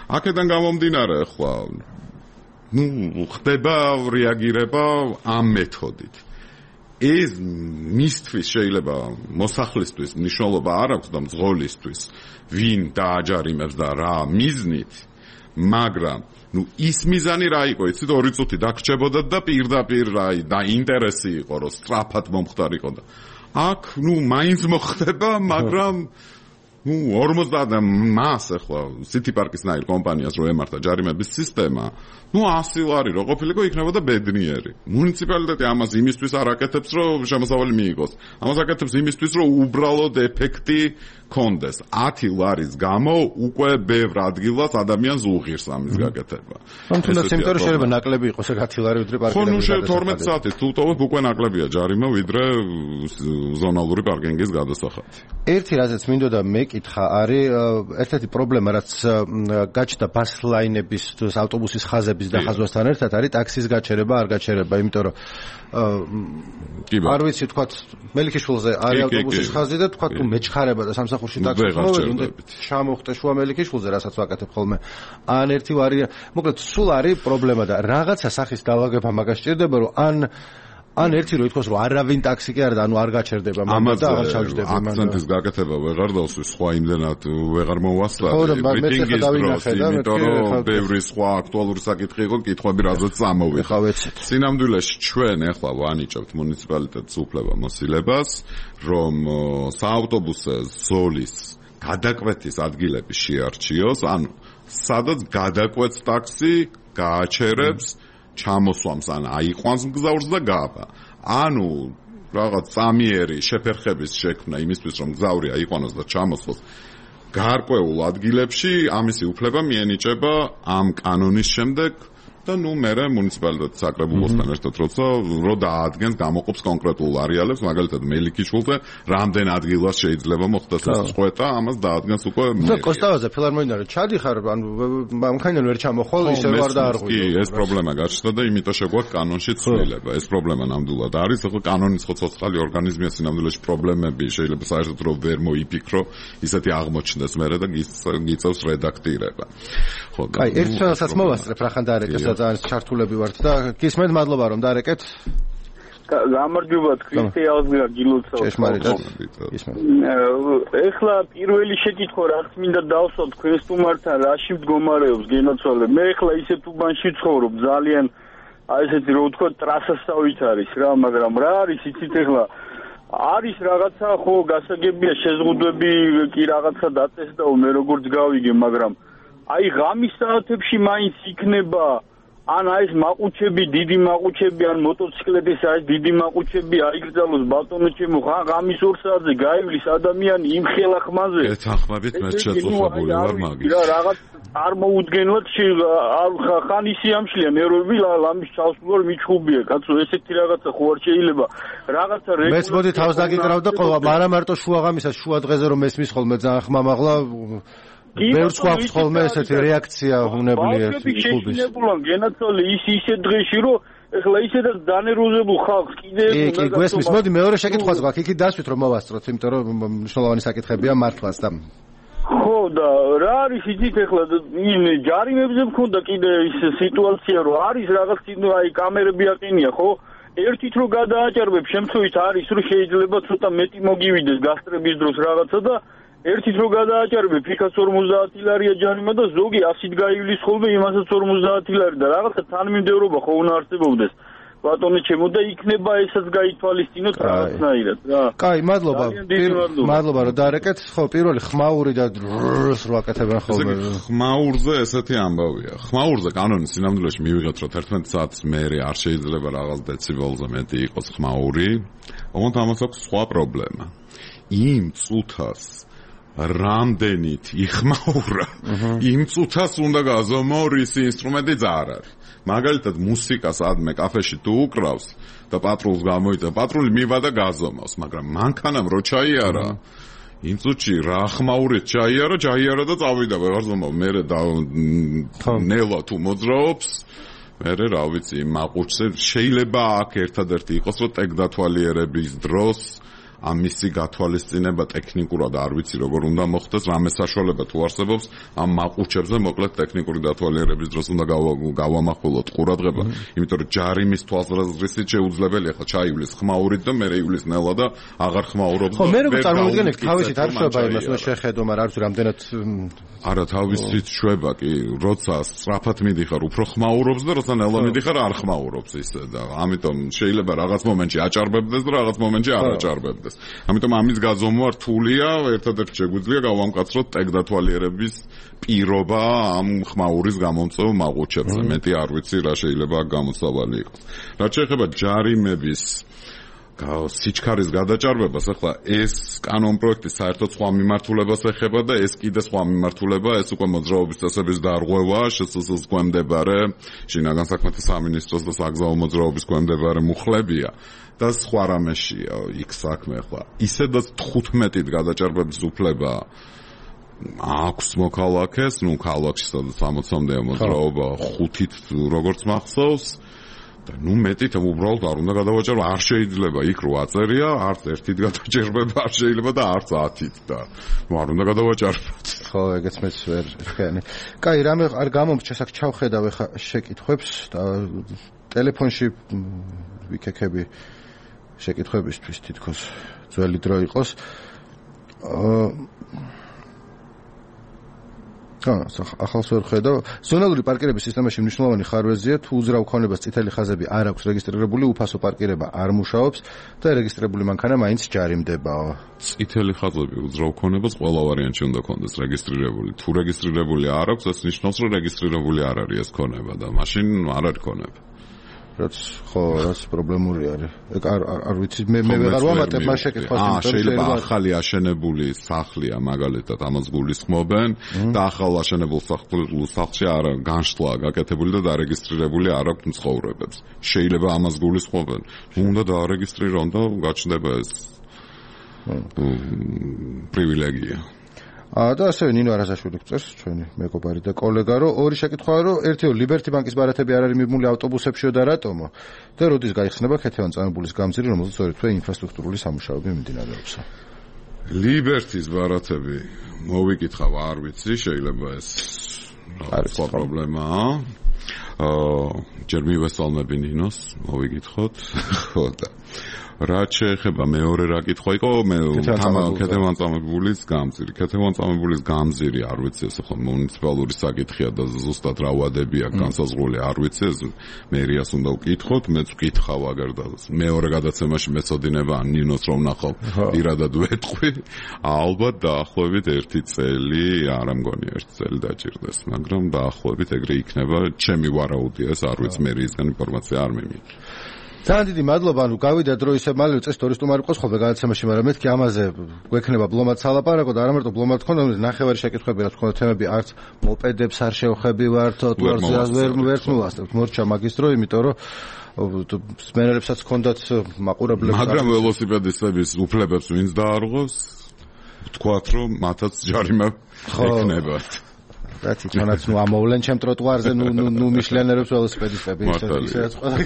S5: აქედან გამომდინარე, ახლა ხდება რეაგირება ამ მეთოდით. ეს მისთვის შეიძლება მოსახლისთვის მნიშვნელობა არ აქვს და მძღოლისთვის, ვინ დააჯარიმებს და რა მიზნით, მაგრამ ის მიზანი რა იყო, იცით, 2 წუთი დაგრჩებოდათ და პირდაპირ და ინტერესი იყო, რომ სწრაფად მომხდარიყო და აქ მაინც მოხდება, მაგრამ 50 მას ახლა City Park-ის ნაირ კომპანიას რო ემართა ჯარიმების სისტემა, 100 ლარი რო ყოფილიყო, იქნებოდა ბედნიერი. მუნიციპალიტეტი ამას იმისთვის არ აკეთებს, რომ შემოსავალი მიიღოს. ამას აკეთებს იმისთვის, რომ უბრალოდ ეფექტი კონდეს. 10 ლარის გამო უკვე ბევრ ადგილას ადამიანს უღირს ამის გაკეთება.
S1: თუმცა იმიტომ რომ შეიძლება ნაკლები იყოს 10 ლარი ვიდრე პარკინგის.
S5: ხო, 12 საათით თუ ტოვებ უკვე ნაკლებია ჯარიმა ვიდრე ზონალური პარკინგის გადასახადი.
S1: ერთი რაზეც მინდოდა მეკითხა არის ერთ-ერთი პრობლემა, რაც გაჩნდა ბას ლაინების ავტობუსის ხაზების დახაზვასთან ერთად არის ტაქსის გაჩერება, არ გაჩერება, იმიტომ რომ არ ვიცი თქვათ მელიქიშვილზე არის ავტობუსის ხაზი და თქვათ თუ მეჩხარება და სამსახურში ტაქსის მოვედი, ჩამოხტე შუა მელიქიშვილზე, რასაც ვაკეთებ ხოლმე. ან ერთი ვარიანტი, მოკლედ სულ არის პრობლემა და რაღაცა სახის გავაგება მაგას სჭირდება, რომ ან ერთი რო ითქვას, რომ არავინ ტაქსი კი არ და ანუ არ გაჩერდება, მაგრამ და აღარ ჩავჯდები
S5: მან. აქცენტის გაკეთება ვეღარ დავსვი, სხვა იმდენად ვეღარ მოვასწრე. მიტინგის დროს, იმიტომ რომ ბევრი სხვა აქტუალური საკითხი იყო, კითხვები რაზეც წამოვიდა. სინამდვილეში ჩვენ ახლა ვანიჭებთ მუნიციპალიტეტს უფლებამოსილებას, რომ საავტობუსო ზოლის გადაკვეთის ადგილები შეარჩიოს, ანუ სადაც გადაკვეთს ტაქსი, გააჩერებს ჩამოსვამს ან აიყვანს მგზავრს და გავა. ანუ რაღაც წამიერი შეფერხების შექმნა იმისთვის, რომ მგზავრი აიყვანოს და ჩამოსვას გარკვეულ ადგილებში, ამისი უფლება მიენიჭება ამ კანონის შემდეგ და მერე მუნიციპალიტეტის საკრებულოსთან ერთად როცა რო დაადგენს გამოყოფს კონკრეტულ არეალებს, მაგალითად მელიქიშვილზე რამდენ ადგილას შეიძლება მოხდეს ეს წვეთა, ამას დაადგენს უკვე
S1: და კოსტავაზე ფილარმონიაში ჩადიხარ, ანუ მანქანა ვერ ჩამოხვალ, ისე ვარ დაარღვი.
S5: კი, ეს პრობლემა გაჩნდა და იმიტომ შეგვაქვს კანონში ცვლილება. ეს პრობლემა ნამდვილად არის, ხო კანონის ხო ცოცხალი ორგანიზმია, სინამდვილეში პრობლემები შეიძლება საერთოდ რომ ვერ მოიფიქრო, ისეთი აღმოჩნდეს მერე და გიწევს რედაქტირება. ხო,
S1: კაი, ერთ ჩვენსაც მოვასწრებ რახან დაარეკეს ძალიან ჩართულები ვართ და გისმენთ, მადლობა რომ დაარეკეთ.
S9: გამარჯობა, ქრისტე აღზრდა გილოცავ.
S1: ჭეშმარიტად.
S9: ეხლა პირველი შეკითხვა რაც მინდა დავსვა თქვენ სტუმართან, რაში მდგომარეობს გენაცვალე. მე ეხლა ისეთ უბანში ცხოვრობ, ძალიან აი ესეთი რო ვთქვა ტრასასავით არის რა, მაგრამ რა არის იცით ეხლა არის რაღაცა ხო გასაგებია შეზღუდვები კი რაღაცა დაწესდაო მე როგორც გავიგე, მაგრამ აი ღამის საათებში მაინც იქნება ან ეს მაყუჩები, დიდი მაყუჩები, ან მოტოციკლეთის ეს დიდი მაყუჩები აიგრძალოს ბატონო ჩემო, ღამის 2 საათზე გაივლის ადამიანი იმ ხელახმაზე.
S5: ეთანხმებით მე შეწყობილი ვარ მაგის.
S9: რა რაღაც წარმოუდგენლად ხან ისი ამშლია ნერვები ლამის ჩავსვლურ მიჩხუბია, კაცო, ესეთი რაღაცა ხო არ შეიძლება. რაღაცა
S1: მეც მოდი თავს დაგიკრავ და ყოლა, მაგრამ მარტო შუაღამისას შუა დღეზე რომ ესმის ხოლმე ძალიან ხმამაღლა ბევრს გვაქვს ხოლმე ესეთი რეაქცია უნებული ერთი კლუბის.
S9: შეშინებულან გენაცვალე ისე დღეში რომ ეხლა ისედაც დანერვოზებულ ხალხს კიდე
S1: კი გვესმის. მოდი მეორე შეკითხვაც გვაქვს. იქით დასვით რომ მოვასწროთ, იმიტომ რომ მნიშვნელოვანი საკითხებია მართლაც და
S9: ხო და რა არის იცით ეხლა ჯარიმებზე მქონდა კიდე ის სიტუაცია რომ არის რაღაც აი კამერები აყენია ხო? ერთით რო გადააჭარბებ შემთხვევით არის რომ შეიძლება ცოტა მეტი მოგივიდეს გასტრების დროს რაღაცა და ერთით რო გადააჭარბებ იქაც 50 ლარია ჯარიმა და ზოგი 100-ით გაივლის ხოლმე იმასაც 50 ლარი და რაღაცა თანმიმდევრობა ხო უნდა არსებობდეს ბატონო ჩემო და იქნება ესაც გაითვალისწინოთ რაღაცნაირად რა.
S1: კაი, მადლობა. მადლობა რომ დაარეკეთ. ხო, პირველი ხმაური და რს რო აკეთებენ ხოლმე.
S5: ხმაურზე ესეთი ამბავია. ხმაურზე კანონის სინამდვილეში მივიღეთ რომ 11 საათს მერე არ შეიძლება რაღაც დეციბელზე მეტი იყოს ხმაური. ოღონდ ამას აქვს სხვა პრობლემა. იმ წუთას რამდენით იხმაურა იმ წუთას უნდა გაზომო რისი ინსტრუმენტი არ არის. მაგალითად მუსიკას ადმე კაფეში თუ უკრავს და პატრულს გამოიწევ, პატრული მივა და გაზომავს, მაგრამ მანქანამ რო ჩაიარა იმ წუთში რა ხმაურით ჩაიარა და წავიდა ვეღარ ზომავ. მერე ნელა თუ მოძრაობს მერე რა ვიცი მაყუჩზე შეიძლება აქ ერთადერთი იყოს რომ ტექდათვალიერების დროს ამისი გათვალისწინება ტექნიკურად არ ვიცი როგორ უნდა მოხდეს, რამე საშუალება თუ არსებობს ამ მაყუჩებზე მოკლედ ტექნიკური დათვალიერების დროს უნდა გავამახვილოთ ყურადღება, იმიტომ რომ ჯარიმის თვალსაზრისით შეუძლებელია ხა ჩაივლის ხმაურით და მერე ივლის ნელა და აღარ ხმაურობს.
S1: ხო, მე როგორ წარმოვიდგენთ, თავისით არ შვება იმას, უნდა შეხედო, მაგრამ არ ვიცი რამდენად
S5: არა თავისით შვება კი, როცა სწრაფად მიდიხარ, უფრო ხმაურობს და როცა ნელა მიდიხარ არ ხმაურობს ისე და ამიტომ შეიძლება რაღაც მომენტში აჭარბებდეს და რაღაც მომენტში არ აჭარბებდეს. ამიტომ ამის გაზომვა რთულია, ერთადერთი შეგვიძლია გავამკაცროთ ტექდათვალიერების პირობა ამ ხმაურის გამომწვევ მაყუჩებზე. მეტი არ ვიცი რა შეიძლება გამოსავალი იყოს. რაც შეეხება ჯარიმების სიჩქარის გადაჭარბებას, ახლა ეს კანონპროექტი საერთოდ სხვა მიმართულებას ეხება და ეს კიდე სხვა მიმართულება, ეს უკვე მოძრაობის წესების დარღვევა, შსს-ს გვემდებარე, შინაგან საქმეთა სამინისტროს და საგზაო მოძრაობის გვემდებარე მუხლებია და სხვა რამეშია იქ საქმე. ახლა ისედაც 15-ით გადაჭარბების უფლება აქვს მოქალაქეს, ნუ ქალაქში სადაც 60-მდეა მოძრაობა, 5-ით როგორც მახსოვს. ნუ მეტით უბრალოდ არ უნდა გადავაჭარო, არ შეიძლება იქ რო აწერია, არც ერთით გადაჭერბება არ შეიძლება და არც 10-ით და ნუ არ უნდა გადავაჭარბოთ.
S1: ხო, ეგეც მეც ვერ ხენი. კაი, რამე არ გამომრჩა აქ ჩავხედავ ეხა შეკითხვებს და ტელეფონში ვიქექები შეკითხვებისთვის თითქოს ძველი დრო იყოს. ახალს ვერ ხედავ. ზონალური პარკირების სისტემაში მნიშვნელოვანი ხარვეზია, თუ უძრავ ქონებას წითელი ხაზები არ აქვს რეგისტრირებული, უფასო პარკირება არ მუშაობს და რეგისტრირებული მანქანა მაინც ჯარიმდებაო.
S5: წითელი ხაზები უძრავ ქონებას ყველა ვარიანტში უნდა ქონდეს რეგისტრირებული. თუ რეგისტრირებული არ აქვს, ეს ნიშნავს, რომ რეგისტრირებული არ არის ეს ქონება და მაშინ არ არის ქონება.
S1: რაც პრობლემური არის. არ ვიცი, მე ვეღარ ვამატებ მას შეკითხვას.
S5: შეიძლება ახალი აშენებული სახლია მაგალითად ამას გულისხმობენ და ახალ აშენებულ სახლში არ განშტლა გაკეთებული და დარეგისტრირებული არ აქვს მცხოვრებებს. შეიძლება ამას გულისხმობენ. უნდა დაარეგისტრირონ და გაჩნდება ეს პრივილეგია.
S1: და ასევე ნინო არაზაშვილი გწერს ჩვენი მეგობარი და კოლეგა, რომ ორი შეკითხვაა, რომ ერთიო ლიბერტი ბანკის ბარათები არ არის მიმული ავტობუსებშიო და რატომო? და როდის გაიხსნება ქეთევან-წამებულის გამზირი, რომელზეც ორი ინფრასტრუქტურული სამუშაოები მიმდინარეობს.
S5: ლიბერტის ბარათები მოვიკითხავ, არ ვიცი, შეიძლება ეს სხვა პრობლემაა. ჯერ მივესალმები ნინოს, მოვიგითხოთ. ხო და რაც შეეხება მეორე რა კითხვა იყო, მე ქეთევანწამებულის გამზირი. ქეთევანწამებულის გამზირი არ ვიცი, ეს ხო მუნიციპალური საკითხია და ზუსტად რა ვადები აქვს განსაზღვრული არ ვიცი, ეს მერიას უნდა ვკითხოთ, მეც ვკითხავ აგერ და მეორე გადაცემაში მეწოდინება ნინოს რომ ნახავ, პირადად ვეტყვი. ალბათ დაახლოებით 1 წელი, არა მგონი 1 წელი დაჭირდეს, მაგრამ დაახლოებით ეგრე იქნება, ჩემი ვარაუდია, ეს არ ვიცი მერიისგან ინფორმაცია არ მიმიღე.
S1: ძალიან დიდი მადლობა, ანუ გავიდა დრო ისე მალე წეს ტურისტუმარი ყოს ხოლმე გადაცემაში, მაგრამ მეთქი ამაზე გვექნება ბლომად სალაპარაკო და არა მარტო ბლომად ხონდა, ნახევარი შეკითხვები რაც ხონდა თემები არც მოპედებს არ შევხები ვართ, თუ არ ვერ მოვასწრებთ მორჩა მაგისტრო, იმიტომ რომ მენერებსაც ჰქონდათ მაყურებლები,
S5: მაგრამ ველოსიპედისტების უფლებებს ვინც დაარღვევს, ვთქვათ რომ მათაც ჯარიმა ექნებათ.
S1: რაც იცანაც ნუ ამოვლენ ჩემ ტროტუარზე ნუ მიშლიანერებს ველოსიპედისტები ისაც ყველა.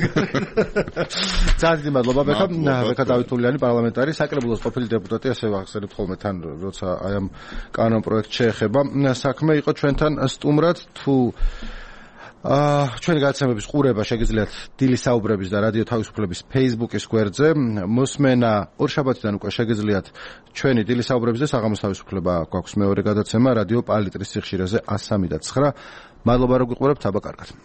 S1: ძალიან დიდი მადლობა ბექა დავითულიანი პარლამენტარი საკრებულოს ყოფილი დეპუტატი ასევე ახსენებთ ხოლმე თან როცა აი ამ კანონ პროექტს შეეხება საქმე იყო ჩვენთან სტუმრად თუ ჩვენი გადაცემების ყურება შეგიძლიათ დილის საუბრების და რადიო თავისუფლების Facebook-ის გვერდზე მოსმენა ორშაბათიდან უკვე შეგიძლიათ ჩვენი დილის საუბრების და საღამოს თავისუფლება გვაქვს მეორე გადაცემა რადიო პალიტრის სიხშირეზე 103.9. მადლობა რომ გიყურებთ, აბა კარგად.